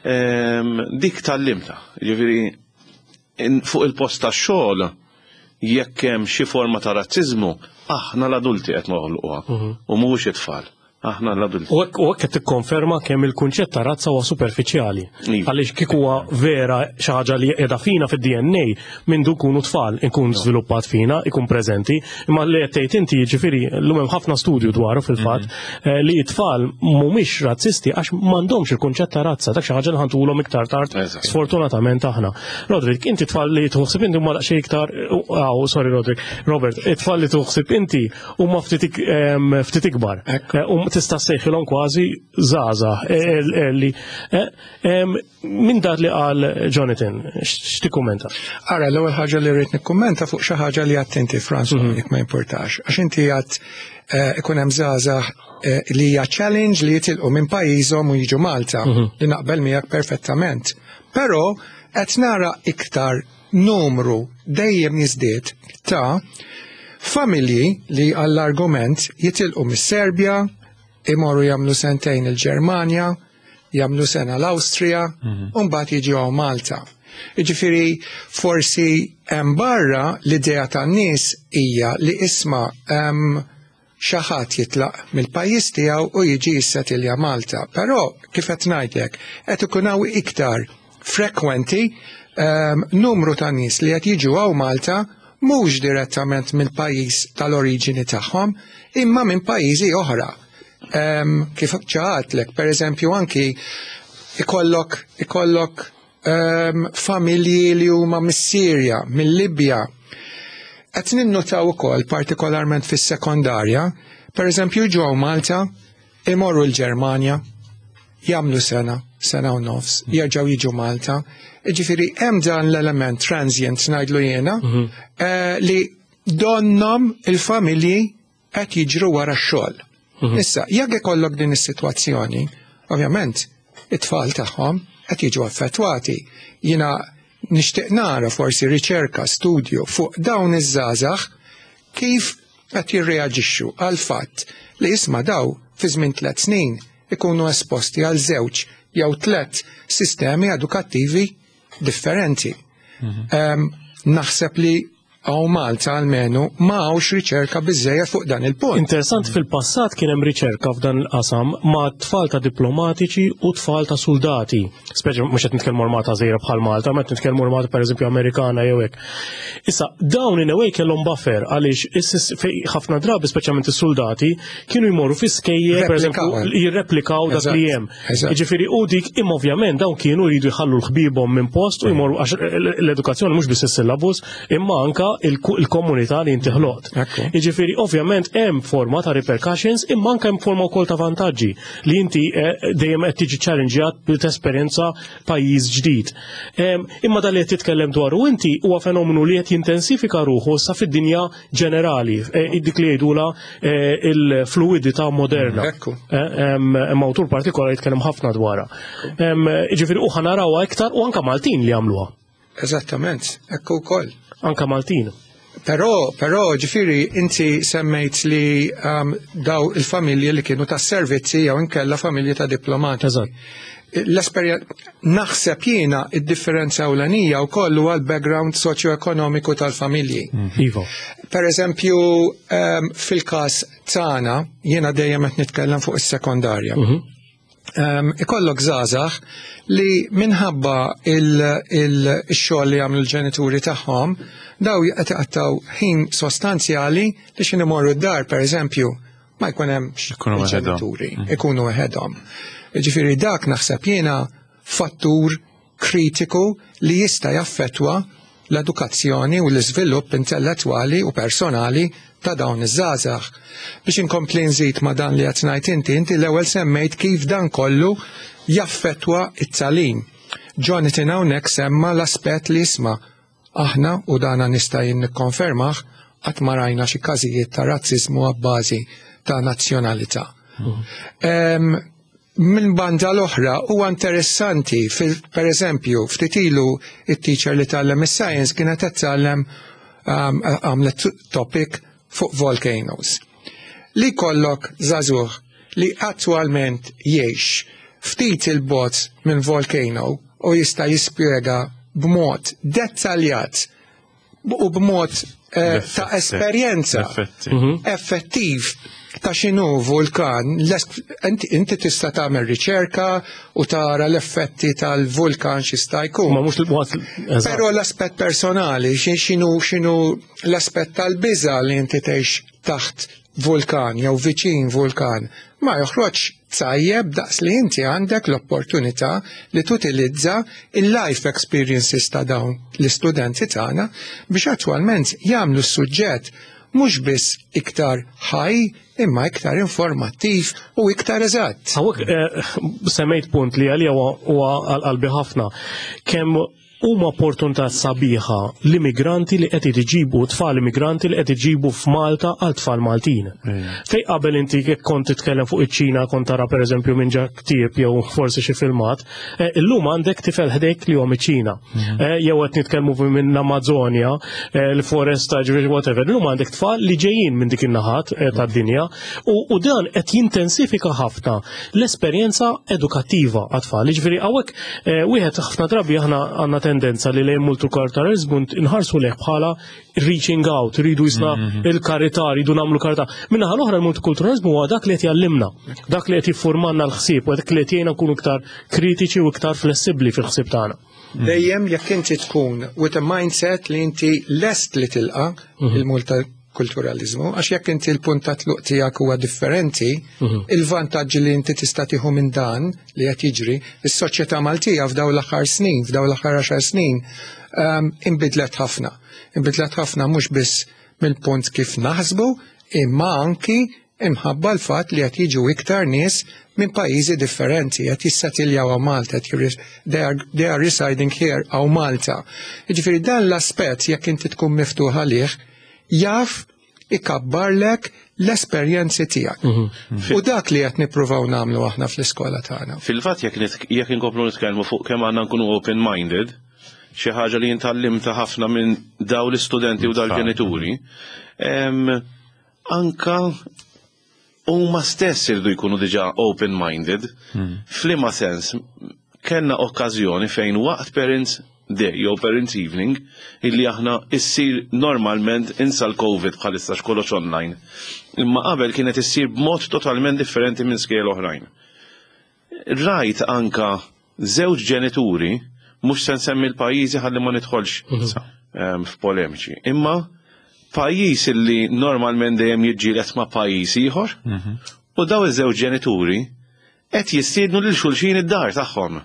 C: ehm, dik tgħallimtha, ġifieri fuq il-post tax-xogħol Jekk hemm xi forma ta' razziżmu, aħna l-adulti qed noħolquha u mhux it-tfal. Aħna l-adulti.
B: U hekk u hekk qed tikkonferma kemm il-kunċett ta' razza huwa superfiċjali.
C: Iva.
B: Għaliex kieku huwa vera xi ħaġa li qiegħda fina fid-D N A minn du kunu tfal ikun żviluppat fina, ikun preżenti, imma li qed tgħid inti, jiġifieri llum hemm ħafna studju dwaru fil-fatt eh, li t-tfal mhumiex razzisti għax m'għandhomx il-kunċett ta' razza, dak xi ħaġa li ħantulhom iktar tard
C: Eżatt.
B: sfortunatament aħna. Roderick, inti tfal li tħossib inti huma daqsxejn iktar, aw, sorry Roderick, Robert, it-tfal li tħossib inti huma ftit ik- em, ftit ikbar.
D: Ekku.
B: Eh, Um tista' ssejħilhom kważi żgħażagħ eh, eh, li eh, em, minn dak li qal Jonathan, x'tikkummenta?
D: Ara, l-ewwel ħaġa li rrid nikkummenta fuq xi ħaġa li għedt inti, François, jekk ma importax. Għax inti għedt eh, ikun hemm żgħażagħ eh, li hija challenge li jitilqu minn pajjiżhom u jiġu Malta, li naqbel miegħek perfettament. Però qed nara iktar numru dejjem jiżdied ta' familji li għall-argument jitilqu mis-Serbja, imorru jagħmlu sentejn il-Ġermanja, jagħmlu sena l-Awstrija, u mbagħad jiġu hawn Malta. Jiġifieri forsi hemm barra l-idea tan-nies hija li isma' hemm xi ħadd jitlaq mill-pajjiż tiegħu u jiġi jissetilja Malta. Però kif qed ngħidlek, qed ikun hawn iktar frekwenti um, numru ta' nies li qed jiġu hawn Malta mhux direttament mill-pajjiż tal-oriġini tagħhom, imma minn pajjiżi oħra. Um, kif għedtlek, per eżempju, anki ikollok ikollok um, familji li huma mis-Sirja, mill-Libja. Qed ninnotaw ukoll partikolarment fis-sekondarja, per eżempju ġew Malta, imorru l-Ġermanja, jagħmlu sena, sena u nofs, jerġgħu jiġu Malta. Ġifieri hemm dan l-element transient ngħidlu jiena, eh, li donnhom il-familji qed jiġru wara x-xogħol. Issa, jekk ikollok din is-sitwazzjoni, ovvjament it-tfal tagħhom qed jiġu affettwati. Jiena nixtieq nara forsi riċerka, studju fuq dawn iż-żgħażagħ kif qed jirreaġixxu għal fatt li isma' daw fi żmien tliet snin ikunu esposti għal żewġ jew tliet sistemi edukattivi differenti. Em, Naħseb li hawn Malta almenu ma hawnx riċerka biżejjed fuq dan il-punt.
B: Interessant, fil-passat kien hemm riċerka f'dan il-qasam ma' tfal ta' diplomatiċi u tfal ta' soldati. Speċi mhux qed nitkellmu armata żgħira bħal Malta, ma qed nitkellmu armata pereżempju Amerikana jew hekk. Issa dawn in a way kellhom buffer għaliex is- fej ħafna drabi, speċjalment is-soldati, kienu jmorru fi skejjel pereżempju
D: Replikaw.
B: jirreplikaw dak li hemm.
D: Eżatt.
B: Jiġifieri u dik imma ovvjament dawn kienu jridu jħallu l-ħbibhom minn post u jmorru, għax l-edukazzjoni mhux biss is-syllabus imma anka il-komunità li inti ħloqt.
D: Ekku.
B: Jiġifieri ovvjament hemm forma ta' repercussions imma anke hemm forma wkoll ta' vantaġġi li inti eh, dejjem qed tiġi challengeat bi tesperjenza pajjiż ġdid. Em, Imma dan li qed titkellem dwaru inti huwa fenomenu li qed jintensifika ruħu sa fid-dinja ġenerali, eh, dik li jgħidula eh, il-fluidità moderna.
D: Ekku.
B: Eh, Hemm hemm awtur partikolari jitkellem ħafna dwarha. Em, Jiġifieri u ħa narawha iktar u anka Maltin li jagħmluha.
D: Eżattament, ekku wkoll.
B: Anka Maltin.
D: Però, però, ġifieri, inti semmejt li um, daw il-familji li kienu ta' servizzi jew inkella familji ta' diplomati.
B: Eżatt.
D: L-esperjenza, naħseb jiena id-differenza ewlenija wkoll huwa l-background soċjo-ekonomiku tal-familji.
B: Iva.
D: Per eżempju, um, fil-każ tagħna, jiena dejjem qed nitkellem fuq is-sekondarja. Um, ikollok żgħażagħ li minħabba il-xogħol li jagħmlu l-ġenituri tagħhom, daw qed iqattgħu ħin sostanzjali li x'ħin imorru d-dar, per eżempju, ma jkun hemmx
A: Ikunu waħedhom.
D: il-ġenituri, ikunu waħedhom. Ġifieri dak naħseb jiena fattur kritiku li jista' jaffettwa l-edukazzjoni u l-iżvilupp intellettwali u personali ta' dawn iż-żgħażagħ. Biex inkompli nżid ma' dan li qed ngħid inti, inti l-ewwel semmejt kif dan kollu jaffettwa it-tagħlim. Jonathan hawnhekk semma l-aspett li isma' aħna, u dana nista' jien nikkonfermah, qatt ma rajna xi każijiet ta' razziżmu għabbażi ta' nazzjonalità. Em, Minn banda l-oħra huwa interessanti, fil- per eżempju, ftit ilu it-teacher li tgħallem is-science kienet qed tgħallem um, għamlet topic fuq volcanoes. Li kollok żagħżugħ li attwalment jgħix ftit il-bogħod minn volcano u jista' jispjega b'mod dettaljat u b'mod eh, ta' esperjenza
A: Effetti.
D: effettiv ta' x'inhu vulkan, l-es- inti inti tista' tagħmel riċerka u tara l-effetti tal-vulkan x'jista' jkun.
B: Ma mhux l-waqt.
D: Però l-aspett personali, xi- x'inhu x'inhu l-aspett tal-biża li inti tgħix taħt vulkan jew viċin vulkan, ma joħroġ tajjeb daqs li inti għandek l-opportunità li tutilizza il-life experiences ta' dawn l-istudenti tagħna biex attwalment jagħmlu s-suġġett mhux biss iktar ħaj imma iktar informattiv u iktar eżatt.
B: Hawnhekk eh, semmejt punt li għalija huwa huwa għal qalbi ħafna. Kemm huma opportunità sabiħa l-immigranti li qed iġibu tfal immigranti li qed iġibu f'Malta għal tfal Maltin. Fej qabel inti jekk kont titkellem fuq iċ-Ċina kont tara pereżempju minn ġa ktieb jew forsi xi filmat, eh, illum għandek tifel ħdejk li huwa miċ-Ċina. Eh, Jew qed nitkellmu minn l-Amazonja, eh, l-foresta, ġifieri whatever. Illum għandek tfal li ġejjin minn dik in-naħat eh, tad-dinja u u dan qed jintensifika ħafna l-esperjenza edukattiva għat-tfal. Ġifieri hawnhekk eh, wieħed ħafna drabi aħna għandna tendenza li lejn multikulturalizmu nħarsu lejh bħala reaching out, rridu jisna il-karità, rridu nagħmlu karità. Min-naħa l-oħra l-multikulturalizmu huwa dak li qed jgħallimna, dak li qed jiffurmanna l-ħsieb u dak li qed jgħinna nkunu iktar kritiċi u iktar flessibbli fil-ħsieb tagħna.
D: Dejjem jekk inti tkun with a mindset li inti lest li tilqa il-multikulturalizmu, għax jekk inti l-punt ta' tluq tiegħek huwa differenti, il-vantaġġi li inti tista' tieħu minn dan li qed jiġri, is-soċjetà Maltija f'daw l-aħħar snin, f'daw l-aħħar għaxar snin, um, inbidlet ħafna. Inbidlet ħafna mhux biss mill-punt kif naħsbu, imma anki imħabba l-fatt li qed jiġu iktar nies minn pajjiżi differenti, qed jissettiljaw hawn Malta, qed jirris- they are, they are residing here hawn Malta. Jiġifieri dan l-aspett jekk inti tkun miftuħ għalih, jaf ikabbarlek l-esperjenzi tiegħek. U dak li qed nippruvaw nagħmlu aħna fl-iskola tagħna.
C: Fil-fatt jekk nit- jekk inkomplu nitkellmu fuq kemm għandna nkunu open-minded, xi ħaġa li jien ħafna minn daw l-istudenti u dal-ġenituri, em, anka huma stess irdu jkunu diġà open-minded. F'liema sens, kellna okkażjoni fejn waqt Parents Day jew Parents Evening illi aħna issir normalment insa l-Covid bħalissa xkollox online. Imma qabel kienet issir b'mod totalment differenti minn skejjel oħrajn. Rajt anka żewġ ġenituri, mhux se nsemmi l-pajjiżi ħalli ma nidħolx em, f'polemiċi, imma pajjiż illi normalment dejjem jiġġieled ma' pajjiż ieħor, u daw iż-żewġ ġenituri qed jistiednu lil xulxin id-dar tagħhom.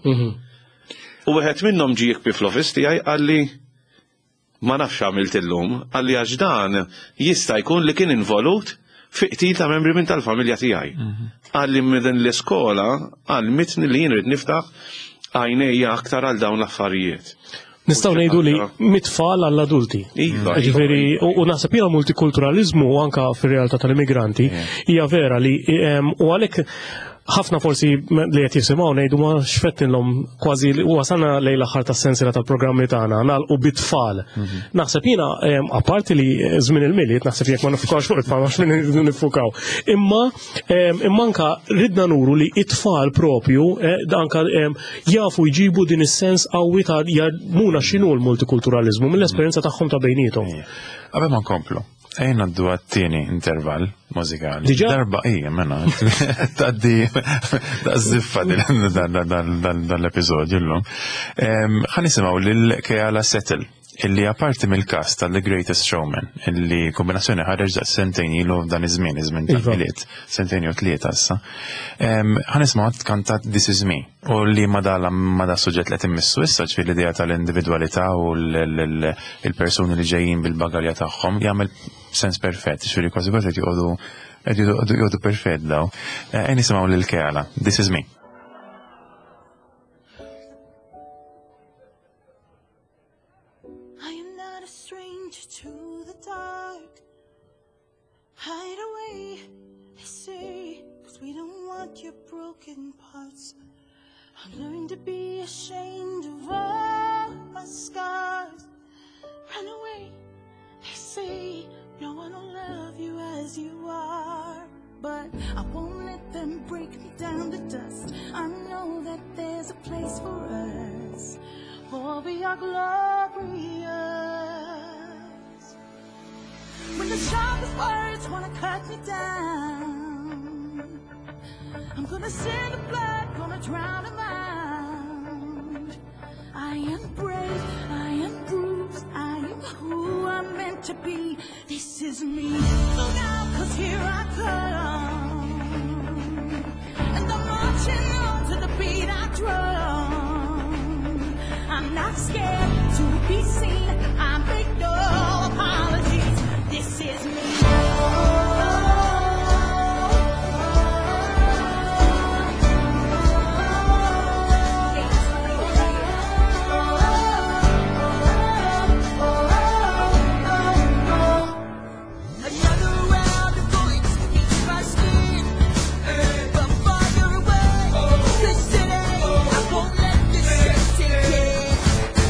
C: U wieħed minnhom ġie jikbi fl-office tiegħi qalli ma nafx għamilt illum, qalli għax dan jista' jkun li kien involut fi qtil ta' membri minn tal-familja tiegħi. Qalli minn din l-iskola għallmitni li jien rrid niftaħ għajnejja aktar għal dawn l-affarijiet.
B: Nistgħu ngħidu li mit-tfal għall-adulti.
C: Iva,
B: Ġifieri, u u naħseb jiena multikulturalizmu anka fir-realtà tal-immigranti hija vera li em, u għalhekk ħafna forsi li qed jisimgħu ngħidu ma xfettinlhom kważi li wasalna lejn l-aħħar tas-sensiela tal-programmi tagħna nagħlqu bit-tfal. Naħseb jiena em, apparti li żmien il-Milied naħseb jekk ma nifukawx fuq it-tfal ma xmin nifukaw. Imma em, imma anka ridna nuru li it-tfal propju eh, anka em, jafu jġibu din is-sens qawwi ta' jgħallmuna x'inhu l-multikulturalizmu mill-esperjenza tagħhom ta' bejniethom.
A: Qabel ma nkomplu, ejja ngħaddu għat-tieni intervall mużikali.
B: Diġà?
A: Darba ija, mena. Taddi, da' ziffa dan l-episodju l-lum. Ħa nisimgħu lil Keala Settle, illi apparti mill-cast tal-The Greatest Showman, illi kombinazzjoni ħareġ da' sentejn ilu f'dan iż-żmien, iż-żmien
B: Iva.
A: tal-Milied, sentejn jew tlieta issa. Ħa nisimgħu kantat This Is Me, u li ma da ma da suġġett li qed immissu issa ġifieri l-idea tal-individwalità u l- l- l-persuni li ġejjin bil-bagalja tagħhom jagħmel sens perfett, ġifieri kważi kważi qed joqogħdu qed joqogħdu joqogħdu perfett daw. Eh, Ejja nisimgħu lil Keala, This Is Me.
E: I am not a stranger to the dark. Hide away, they say, cause we don't want your broken parts. I've learned to be ashamed of all my scars. Run away, they say, no one will love you as you are. But I won't let them break me down to dust. I know that there's a place for us, for we are glorious. the sharpest words wanna cut me down, I'm gonna send the blood, gonna drown them out. I am brave, I am bruised, I am who I'm meant to be. This is me. Look out, 'cause here I come. And I'm marching on to the beat I drum. I'm not scared to be seen. I make no apologies. This is me.
F: Another round of bullets meets my skin. But farther away, 'cause today I won't let this shit sink in.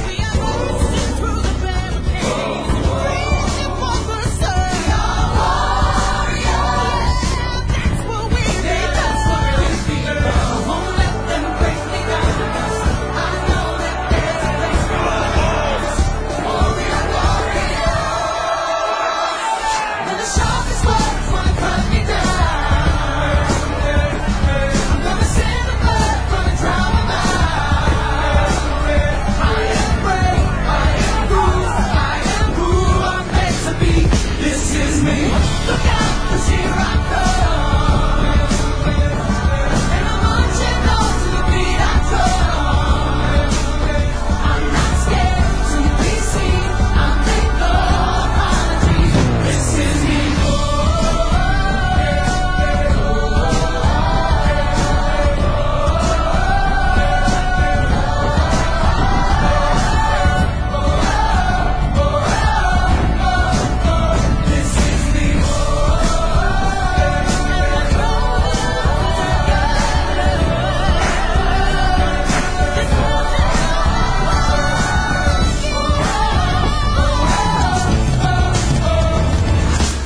E: We are bursting through the barricades, reaching for the sun. We are warriors. That's what we be. That's what we be. I won't let them break me down. I know that there's a place for us. Warrior, warrior.
F: When the sharpest words wanna cut me down, I'm gonna send the blood, gonna drown 'em out. I am brave, I am bruised, I am who I'm meant to be. This is me.
E: Look out, 'cause here I come. And I'm marching on to the beat I drum. I'm not scared to be seen. I make no apologies.
F: This is me. This is me.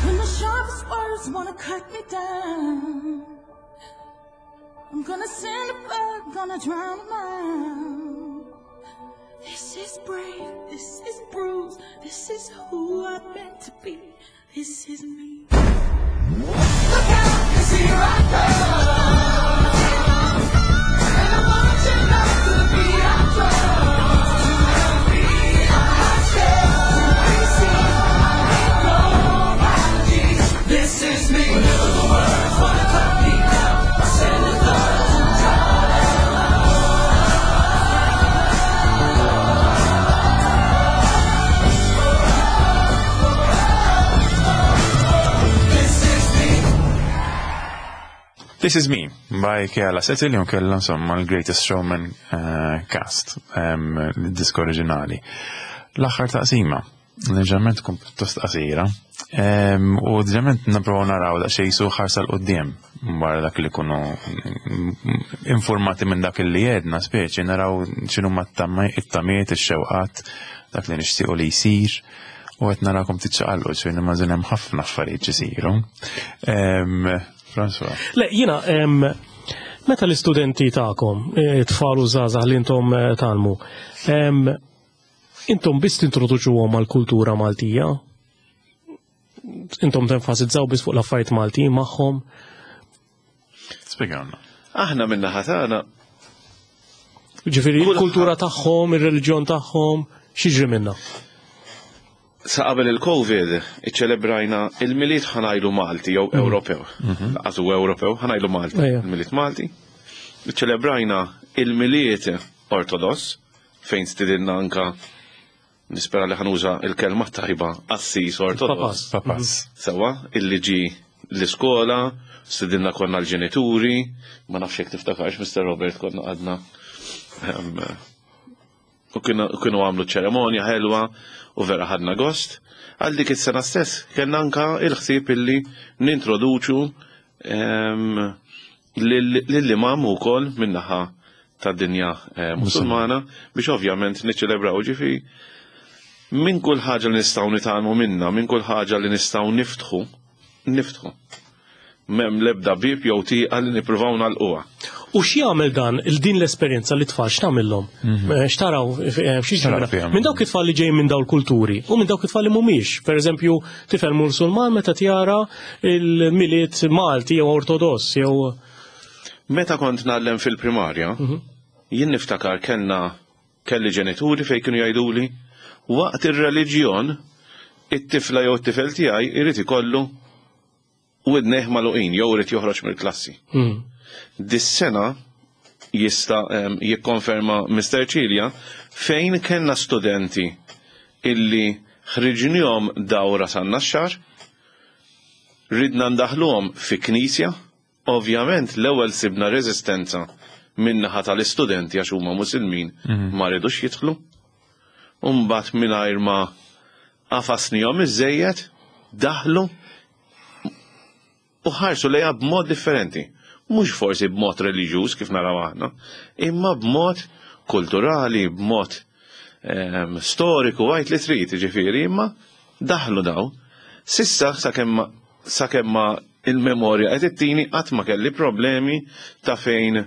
E: When the sharpest words wanna cut me down, I'm gonna send a bird, gonna drown 'em out. This is brave, this is bruised, this is who I'm meant to be. This is me.
F: Look out, 'cause here I come. And I'm marching on to the beat I drum. I'm not scared to be seen. I make no apologies. This is me. Whenever the words wanna cut me down, I send the blood to drown them out. This is me.
A: This Is Me by Keala Settle, jew kella insomma l-Greatest Showman uh, cast, um, l-disk oriġinali. L-aħħar taqsima, ġeneralment tkun pjuttost qasira, um, u ġeneralment nipprovaw naraw daqsxejn su ħarsa 'l quddiem wara dak li kunu informati minn dak li jedna speċi naraw x'inhuma it-tamiet, ix-xewqat, dak li nixtiequ li jsir. U qed narakom tiċċaqalqu, ġifieri nimmaġina hemm ħafna affarijiet isiru. Em, François.
B: Le, jina, em, meta l-istudenti tagħkom, eh, tfal u żgħażagħ li intom eh, tgħallmu, em, intom biss tintroduċuhom għall-kultura Maltija? Intom tenfasizzaw biss fuq l-affarijiet Maltin magħhom?
A: Spjegawna.
C: Aħna min-naħa tagħna
B: Ġifieri,
C: Kulħadd-
B: il-kultura tagħhom, ir-reliġjon tagħhom, x'jiġri minna?
C: Sa qabel il-Covid iċċelebrajna il-Milied, ħa ngħidu Malti jew Ewropew. Lanqas hu Ewropew, ħa ngħidu Malti.
B: Ejja.
C: Il-Milied Malti. Iċċelebrajna il-Milied Ortodoss fejn stidinna anka, nispera li ħa nuża il-kelma tajba, qassis Ortodoss.
A: Papas.
C: Sewa, illi ġi l-iskola, stidinna konna l-ġenituri, ma nafx jekk tiftakarx, Mister Robert, konna għadna. Em, U kienu kienu għamlu ċeremonja ħelwa u vera ħadna gost. Għal dik is-sena stess kellna anka il-ħsieb illi nintroduċu em, lill-imam ukoll min-naħa tad-dinja eh, musulmana biex ovvjament niċċelebraw, ġifi minn kull ħaġa li nistgħu nitgħallmu minna, minn kull ħaġa li nistgħu niftħu, niftħu. M'hemm lebda bib jew tieqa li nippruvaw nagħlquha.
B: U x'jagħmel dan il din l-esperjenza li tfal x'tagħmilhom? Eh, X'taraw eh, xi
A: X'taraw fihom?
B: Minn dawk it-tfal li ġejjin minn dawn il-kulturi u minn dawk it-tfal li mhumiex. Per eżempju, tifel Musulman meta tjara il-Milied Malti jew Ortodoss jew
C: Meta kont ngħallem fil-primarja, jien niftakar kellna kelli ġenituri fejn kienu jgħiduli waqt ir-reliġjon it-tifla jew it-tifel tiegħi irid ikollu widnejh magħluqin jew irid joħroġ mill-klassi.
B: Mm.
C: Dis-sena jista' em, jikkonferma Mister Cilia fejn kellna studenti illi ħriġnihom dawra san-Naxxar, ridna ndaħluhom fi knisja, ovvjament l-ewwel sibna reżistenza min-naħa tal-istudenti għax huma Musulmin, ma ridux jidħlu. Umbagħad mingħajr ma għafasnihom iżejjed daħlu u ħarsu lejha b'mod differenti. Mhux forsi b'mod reliġjuż kif naraw aħna, imma b'mod kulturali, b'mod em, storiku, għid li trid, ġifieri, imma daħlu daw. S'issa sakemm sakemm ma il-memorja qed ittini, qatt ma kelli problemi ta' fejn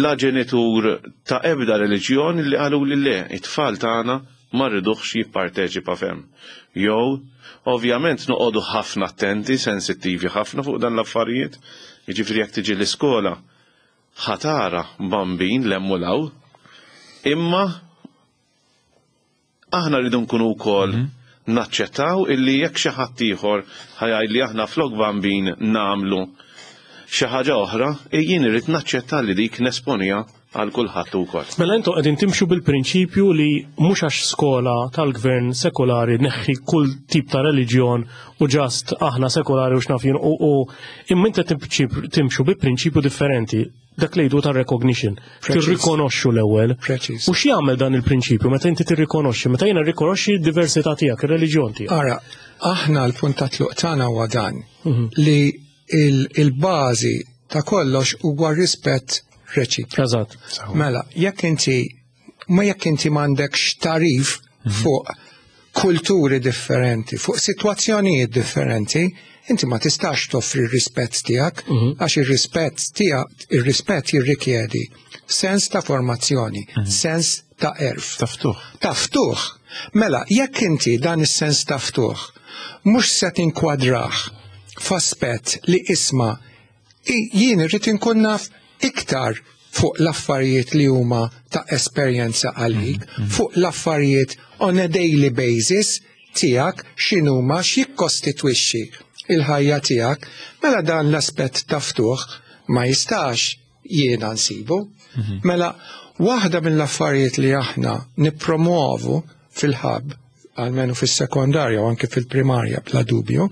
C: la ġenitur ta' ebda reliġjon li qalu li le, it-tfal tagħna ma rriduhx jipparteċipa fem. Jew, ovvjament noqogħdu ħafna attenti, sensittivi ħafna fuq dan l-affarijiet, jiġifieri jekk tiġi l-iskola ħa tara bambin l-emmulaw, imma aħna rridu nkunu wkoll naċċettaw illi jekk xi ħadd ieħor ħa jgħid li aħna flok bambin nagħmlu xi ħaġa oħra, jien irrid naċċetta li dik nesponija għal kulħadd ukoll.
B: Mela intom qegħdin timxu bil-prinċipju li mhux għax skola tal-gvern sekolari neħħi kull tip ta' reliġjon u just aħna sekolari u x'naf jien u u imma inti timxu bi prinċipju differenti, dak li jgħidu ta' recognition.
D: Preċiż.
B: Tirrikonoxxu l-ewwel.
D: Preċiż.
B: U x'jagħmel dan il-prinċipju meta inti tirrikonoxxi, meta jiena rrikonoxxi d-diversità tiegħek, ir-reliġjon tiegħek?
D: Ara, aħna l-punt ta' tluq tagħna huwa dan li il- il-bażi ta' kollox huwa rispett reċiproku.
B: Eżatt.
D: Mela, jekk inti ma jekk inti m'għandekx tagħrif fuq kulturi differenti, fuq sitwazzjonijiet differenti, inti ma tistax toffri r-rispett tiegħek, għax ir-rispett tiegħek, ir-rispett jirrikjedi sens ta' formazzjoni, sens ta' għerf.
A: Ta' ftuħ.
D: Ta' ftuħ. Mela, jekk inti dan is-sens ta' ftuħ mhux se tinkwadrah f'aspett li isma' i- jien irrid inkun naf iktar fuq l-affarijiet li huma ta' esperjenza għalik, fuq l-affarijiet on a daily basis tiegħek, x'inhuma, x'jikkostitwixxi il-ħajja tiegħek, mela dan l-aspett ta' ftuħ ma jistax jiena nsibu. Mela, waħda mill-affarijiet li aħna nippromuovu fil-hub, almenu fis-sekondarja u anke fil-primarja bla dubju,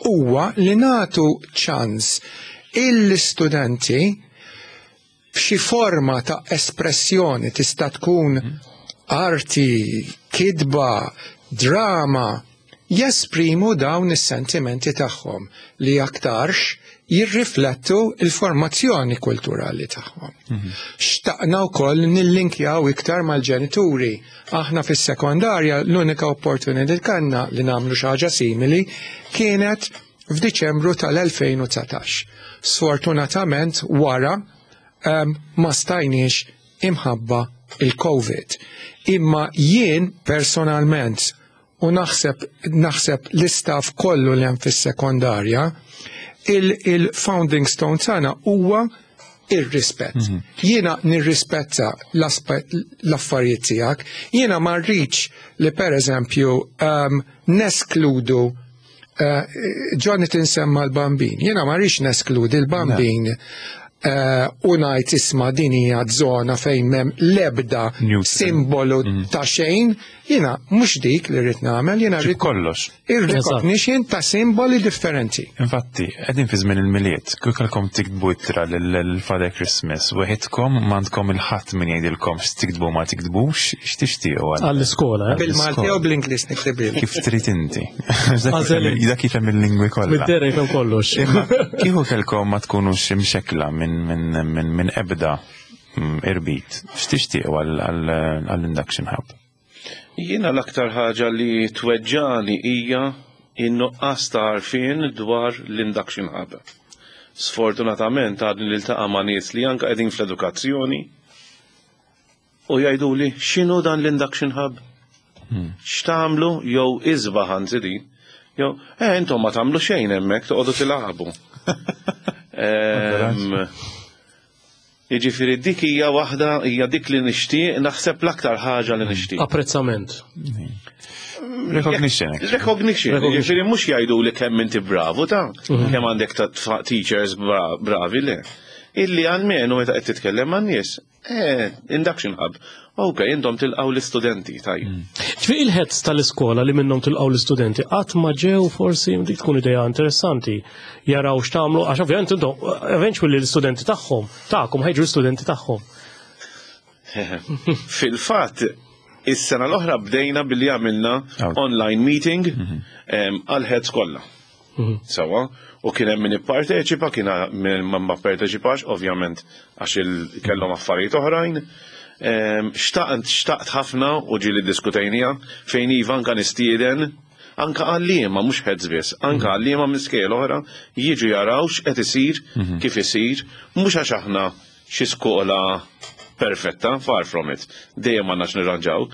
D: huwa li natu ċans il-studenti f'xi forma ta' espressjoni, tista' tkun arti, kitba, drama, jesprimu dawn is-sentimenti tagħhom li aktarx jirriflettu il-formazzjoni kulturali tagħhom. Xtaqna wkoll nillinkjaw iktar mal-ġenituri. Aħna fis-sekondarja l-unika opportunità li kellna li nagħmlu xi ħaġa simili kienet f'Diċembru tal-elfejn u dsatax. Sfortunatament wara um, ma stajniex imħabba il-Covid. Imma jien personalment u naħseb naħseb l-istaff kollu li hemm fis-sekondarja, il-founding stone tagħna huwa ir-rispett. Jiena nirrispetta l-aspett l-affarijiet tiegħek, jiena ma rridx li per eżempju um, neskludu uh, Jonathan semma l-bambin, jiena ma rridx neskludi l-bambin uh, u ngħid isma' din hija żona fejn m'hemm l-ebda
A: Neutral.
D: simbolu ta' xejn, jiena mhux dik li rrid nagħmel, jiena
A: Ġib
D: rrid
A: kollox.
D: ir-recognition ta' simboli differenti.
A: Infatti, qegħdin fi żmien il-Milied, kieku kellkom tiktbu ittra l-Father Christmas, weħidkom, m'għandkom il-ħadd min jgħidilkom x'tiktbu ma tiktbux, x'tixtiequ għal?
B: Għall-iskola, eh?
D: Bil-Malti u bl-Ingliż niktibil.
A: Kif trid inti. Dak
B: Għażel
A: jifhem- Dak jifhem il-lingwi kollha.
B: Mid-dera jifhem kollox.
A: Imma kieku kelkom ma tkunux imxekla minn minn minn minn ebda mm, irbit, x'tixtiequ għall-Induction Hub?
C: Jiena l-aktar ħaġa li tweġġani hija in-nuqqas ta' għarfien dwar l-Induction Hub. Sfortunatament għadni niltaqa' ma' nies li anka qegħdin fl-edukazzjoni u jgħidu li x'inhu dan l-induction hub? X'tagħmlu jew isbaħ anzi din? Jew eh intom ma tagħmlu xejn hemmhekk toqgħodu tilagħbu. Ehm, Jiġifieri dik hija waħda hija dik li nixtieq naħseb l-aktar ħaġa li nixtieq.
B: Apprezzament.
A: Recognition. actually.
C: Recognition,
B: Recognition.
C: jiġifieri mhux jgħidu li kemm inti bravu ta' kemm għandek ta' tfa- teachers bra- bravi le. Illi għalmenu meta qed titkellem man-nies, eh, induction hub. Ok, intom tilqgħu l-istudenti, tajjeb.
B: Ġifieri il-heads tal-iskola li minnhom tilqgħu l-istudenti qatt ma ġew forsi dik tkun idea interessanti jaraw x'tagħmlu għax ovvjament intom eventually l-istudenti tagħhom tagħkom ħa jiġu l-istudenti tagħhom.
C: Fil-fatt, is-sena l-oħra bdejna billi għamilna
A: Out.
C: online meeting em, għal-heads kollha. Sawa, u kien hemm min ipparteċipa, kien hemm min ma parteċipax, ovvjament għax il- kellhom affarijiet oħrajn. Em, Xtaqt xtaqt ħafna u ġieli diskutejnija fejn iva anka nistieden anka għalliema mhux heads biss, anka għalliema minn skejjel oħra jiġu jaraw x'qed isir, kif isir, mhux għax aħna xi skola perfetta, far from it. Dejjem għandna x'nirranġaw,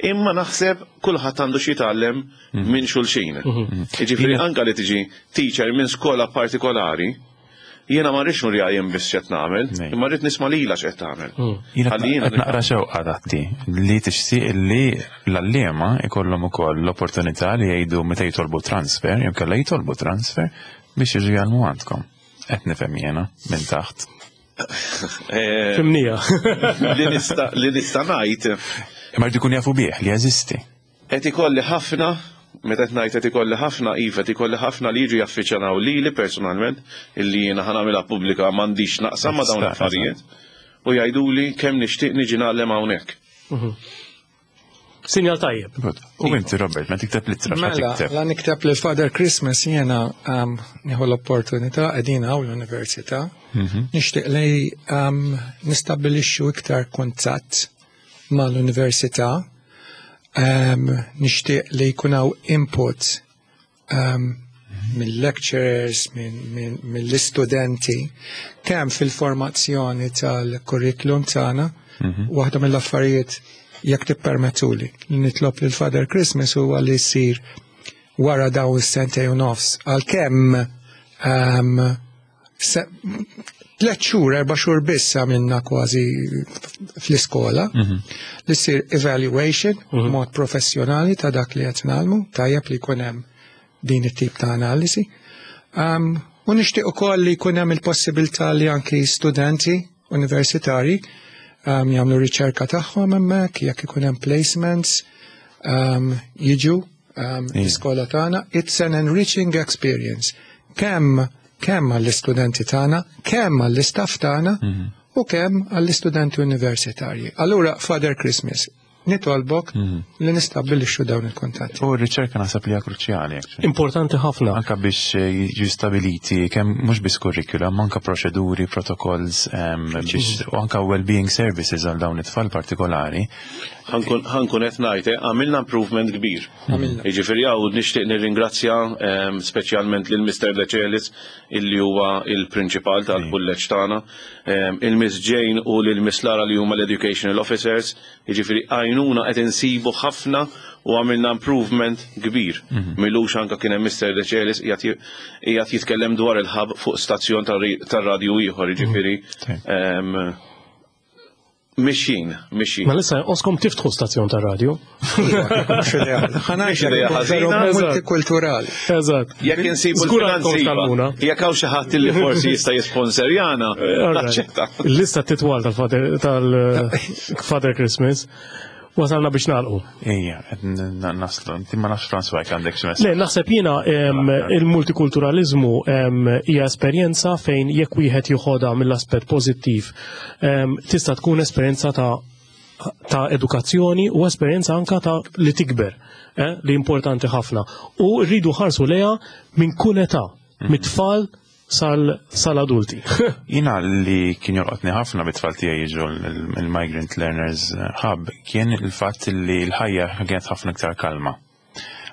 C: imma naħseb kulħadd għandu xi jitgħallem minn xulxin. Jiġifieri anka li tiġi teacher minn skola partikolari, jiena ma rridx nurja jien biss x'qed nagħmel,
A: Nej.
C: imma rrid nisma' lilha x'qed tagħmel.
A: Jiena
C: Ħalli jiena
A: qed naqra xewqa tatti li tixtieq li l-għalliema ikollhom ukoll l-opportunità li jgħidu meta jitolbu transfer, jew kellha jitolbu transfer biex jiġu jgħallmu għandkom. Qed nifhem jiena minn taħt.
C: Eh,
B: Fimnija.
C: li nista' li nista' ngħid
A: Imma jridu jkun jafu bih li jeżisti.
C: qed ikolli ħafna meta qed ngħid qed ikolli ħafna iva qed ikolli ħafna li jiġu jaffiċċjanaw lili personalment illi jiena ħa nagħmilha pubblika m'għandix naqsam ma' dawn
A: Tista'
C: l-affarijiet u jgħiduli kemm nixtieq niġi ngħallem hawnhekk.
B: Sinjal tajjeb.
A: Good. U inti Robert, ma tikteb l-ittra, x'ma
D: Mela,
A: tikteb.
D: la nikteb lil Father Christmas jiena um, nieħu l-opportunità qegħdin hawn l-università. Nixtieq li um, nistabbilixxu iktar kuntatt mal-università. Um, nixtieq li jkun hawn input um, mill-lecturers, minn mill-istudenti, kemm fil-formazzjoni tal-kurrikulum tagħna, waħda mill-affarijiet jekk tippermettuli li nitlob lil Father Christmas huwa li jsir wara daw is-sentej u nofs għalkemm um, se- tliet xhur, erba' xhur biss għamilna kważi fl-iskola li ssir evaluation mod professjonali ta' dak li qed nagħmlu, tajjeb li jkun hemm din it-tip ta' analisi. Um, u nixtieq ukoll li jkun hemm il-possibilità li anki studenti universitari um, jagħmlu riċerka tagħhom hemmhekk, jekk ikun hemm placements, um, jiġu um, l-iskola tagħna. It's an enriching experience. Kemm kemm għall-istudenti tagħna, kemm għall-istaff tagħna u kemm għall-istudenti universitarji. Allura, Father Christmas, nitolbok li nistabbilixxu dawn il-kuntatti.
A: U r-riċerka naħseb li hija kruċjali. actually.
B: Importanti ħafna.
A: Anka biex eh, jiġu stabiliti kemm mhux biss curricula, ma anka proċeduri, protocols, em, biex u anka well-being services għal dawn it-tfal partikolari.
C: Ħa nkun qed ngħid, eh, għamilna improvement kbir.
D: Għamilna.
C: Jiġifieri hawn nixtieq nirringrazzja em, speċjalment lil Mr. Decelis illi huwa il-prinċipal tal-kulleġġ tagħna, em, il-Miss Jane u lil Miss Lara li huma l-educational officers, jiġifieri għajnuna qed insibu ħafna u għamilna improvement kbir. M'ilux anka kien hemm Mr. Decelis qiegħed qiegħed jitkellem dwar il-hub fuq stazzjon tar-radju ieħor, jiġifieri em, mixjin, mixjin.
B: Ma lissa oskom tiftħu stazzjon ta' radio.
D: Mhux idea. Ħa ngħidlek
C: idea
D: ikun veru
C: ħażina.
D: multikulturali.
B: Eżatt.
C: Jekk insibu
B: Żgur għandkom
C: l-finanzi,
B: talmuna.
C: jekk hawn xi ħadd li forsi jista' jisponserjana, naċċetta.
B: Il-lista titwal tal-Father tal-Father Christmas. Wasalna biex nagħlqu.
A: Ejja, qed n- naslu, inti ma nafx François jekk għandek xi messaġġ.
B: Le, naħseb jiena em, il-multikulturalizmu em, hija esperjenza fejn jekk wieħed joħodha mill-aspett pożittiv, em, tista' tkun esperjenza ta' ta' edukazzjoni u esperjenza anka ta' li tikber, eh, li importanti ħafna. U rridu ħarsu leha minn kull età, mit-tfal sal- sal-adulti.
A: Jina li kien jolqotni ħafna bit-tfal tiegħi jiġu l- il-Migrant Learners Hub kien il-fatt li l-ħajja kienet ħafna iktar kalma.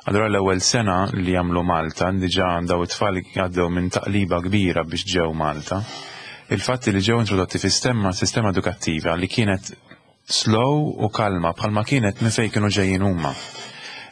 A: Allura l-ewwel sena li jagħmlu Malta, diġà daw it-tfal għaddew minn taqliba kbira biex ġew Malta. Il-fatt li ġew introdotti fi sistema sistema edukattiva li kienet slow u kalma bħalma kienet minn fejn kienu ġejjin huma.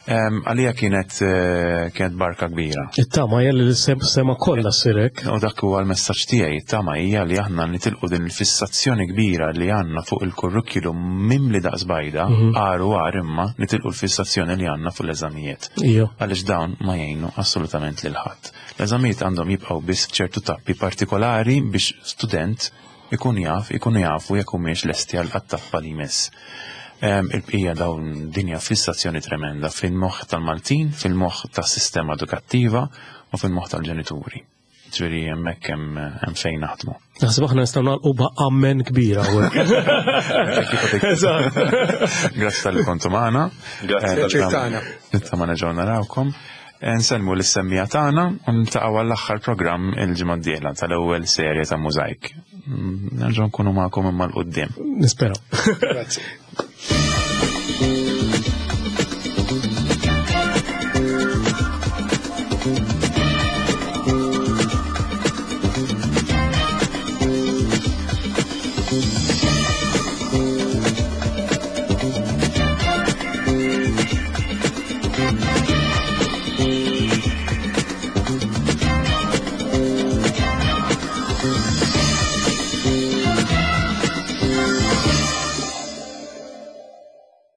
A: Em, Għalija kienet eh, kienet barka kbira.
B: It-tama hija li l-sistema kollha ssir hekk.
A: U dak huwa l-messaġġ tiegħi, it-tama hija li aħna nitilqu din il-fissazzjoni kbira li għandna fuq il-kurrikulum mimli daqs bajda, għar u għar imma nitilqu l-fissazzjoni li għandna fuq l-eżamijiet.
B: Ija.
A: Għaliex dawn ma jgħinu assolutament lil ħadd. L-eżamijiet għandhom jibqgħu biss ċertu tappi partikolari biex student ikun jaf, ikunu jafu jekk humiex lesti għal tappa li jmiss. Em, Il-bqija dawn dinja fissazzjoni tremenda fil-moħħ tal-Maltin, fil-moħħ tas-sistema edukattiva u fil-moħħ tal-ġenituri. Ġifieri hemmhekk hemm hemm fejn naħdmu.
B: Naħseb aħna nistgħu nagħlqu b'amen kbira hawnhekk.
A: Grazzi talli kontu magħna.
C: Grazzi
A: Eh,
D: Pjaċir tagħna.
A: Nittama nerġgħu narawkom. Eh, Nsellmu lis-semmiegħa tagħna u niltaqgħu għall-aħħar programm il-ġimgħa d-dieħla tal-ewwel serje ta' Mużajk. Mm, Nerġgħu nkunu magħkom imma 'l quddiem.
B: Nisperaw.
D: Grazzi.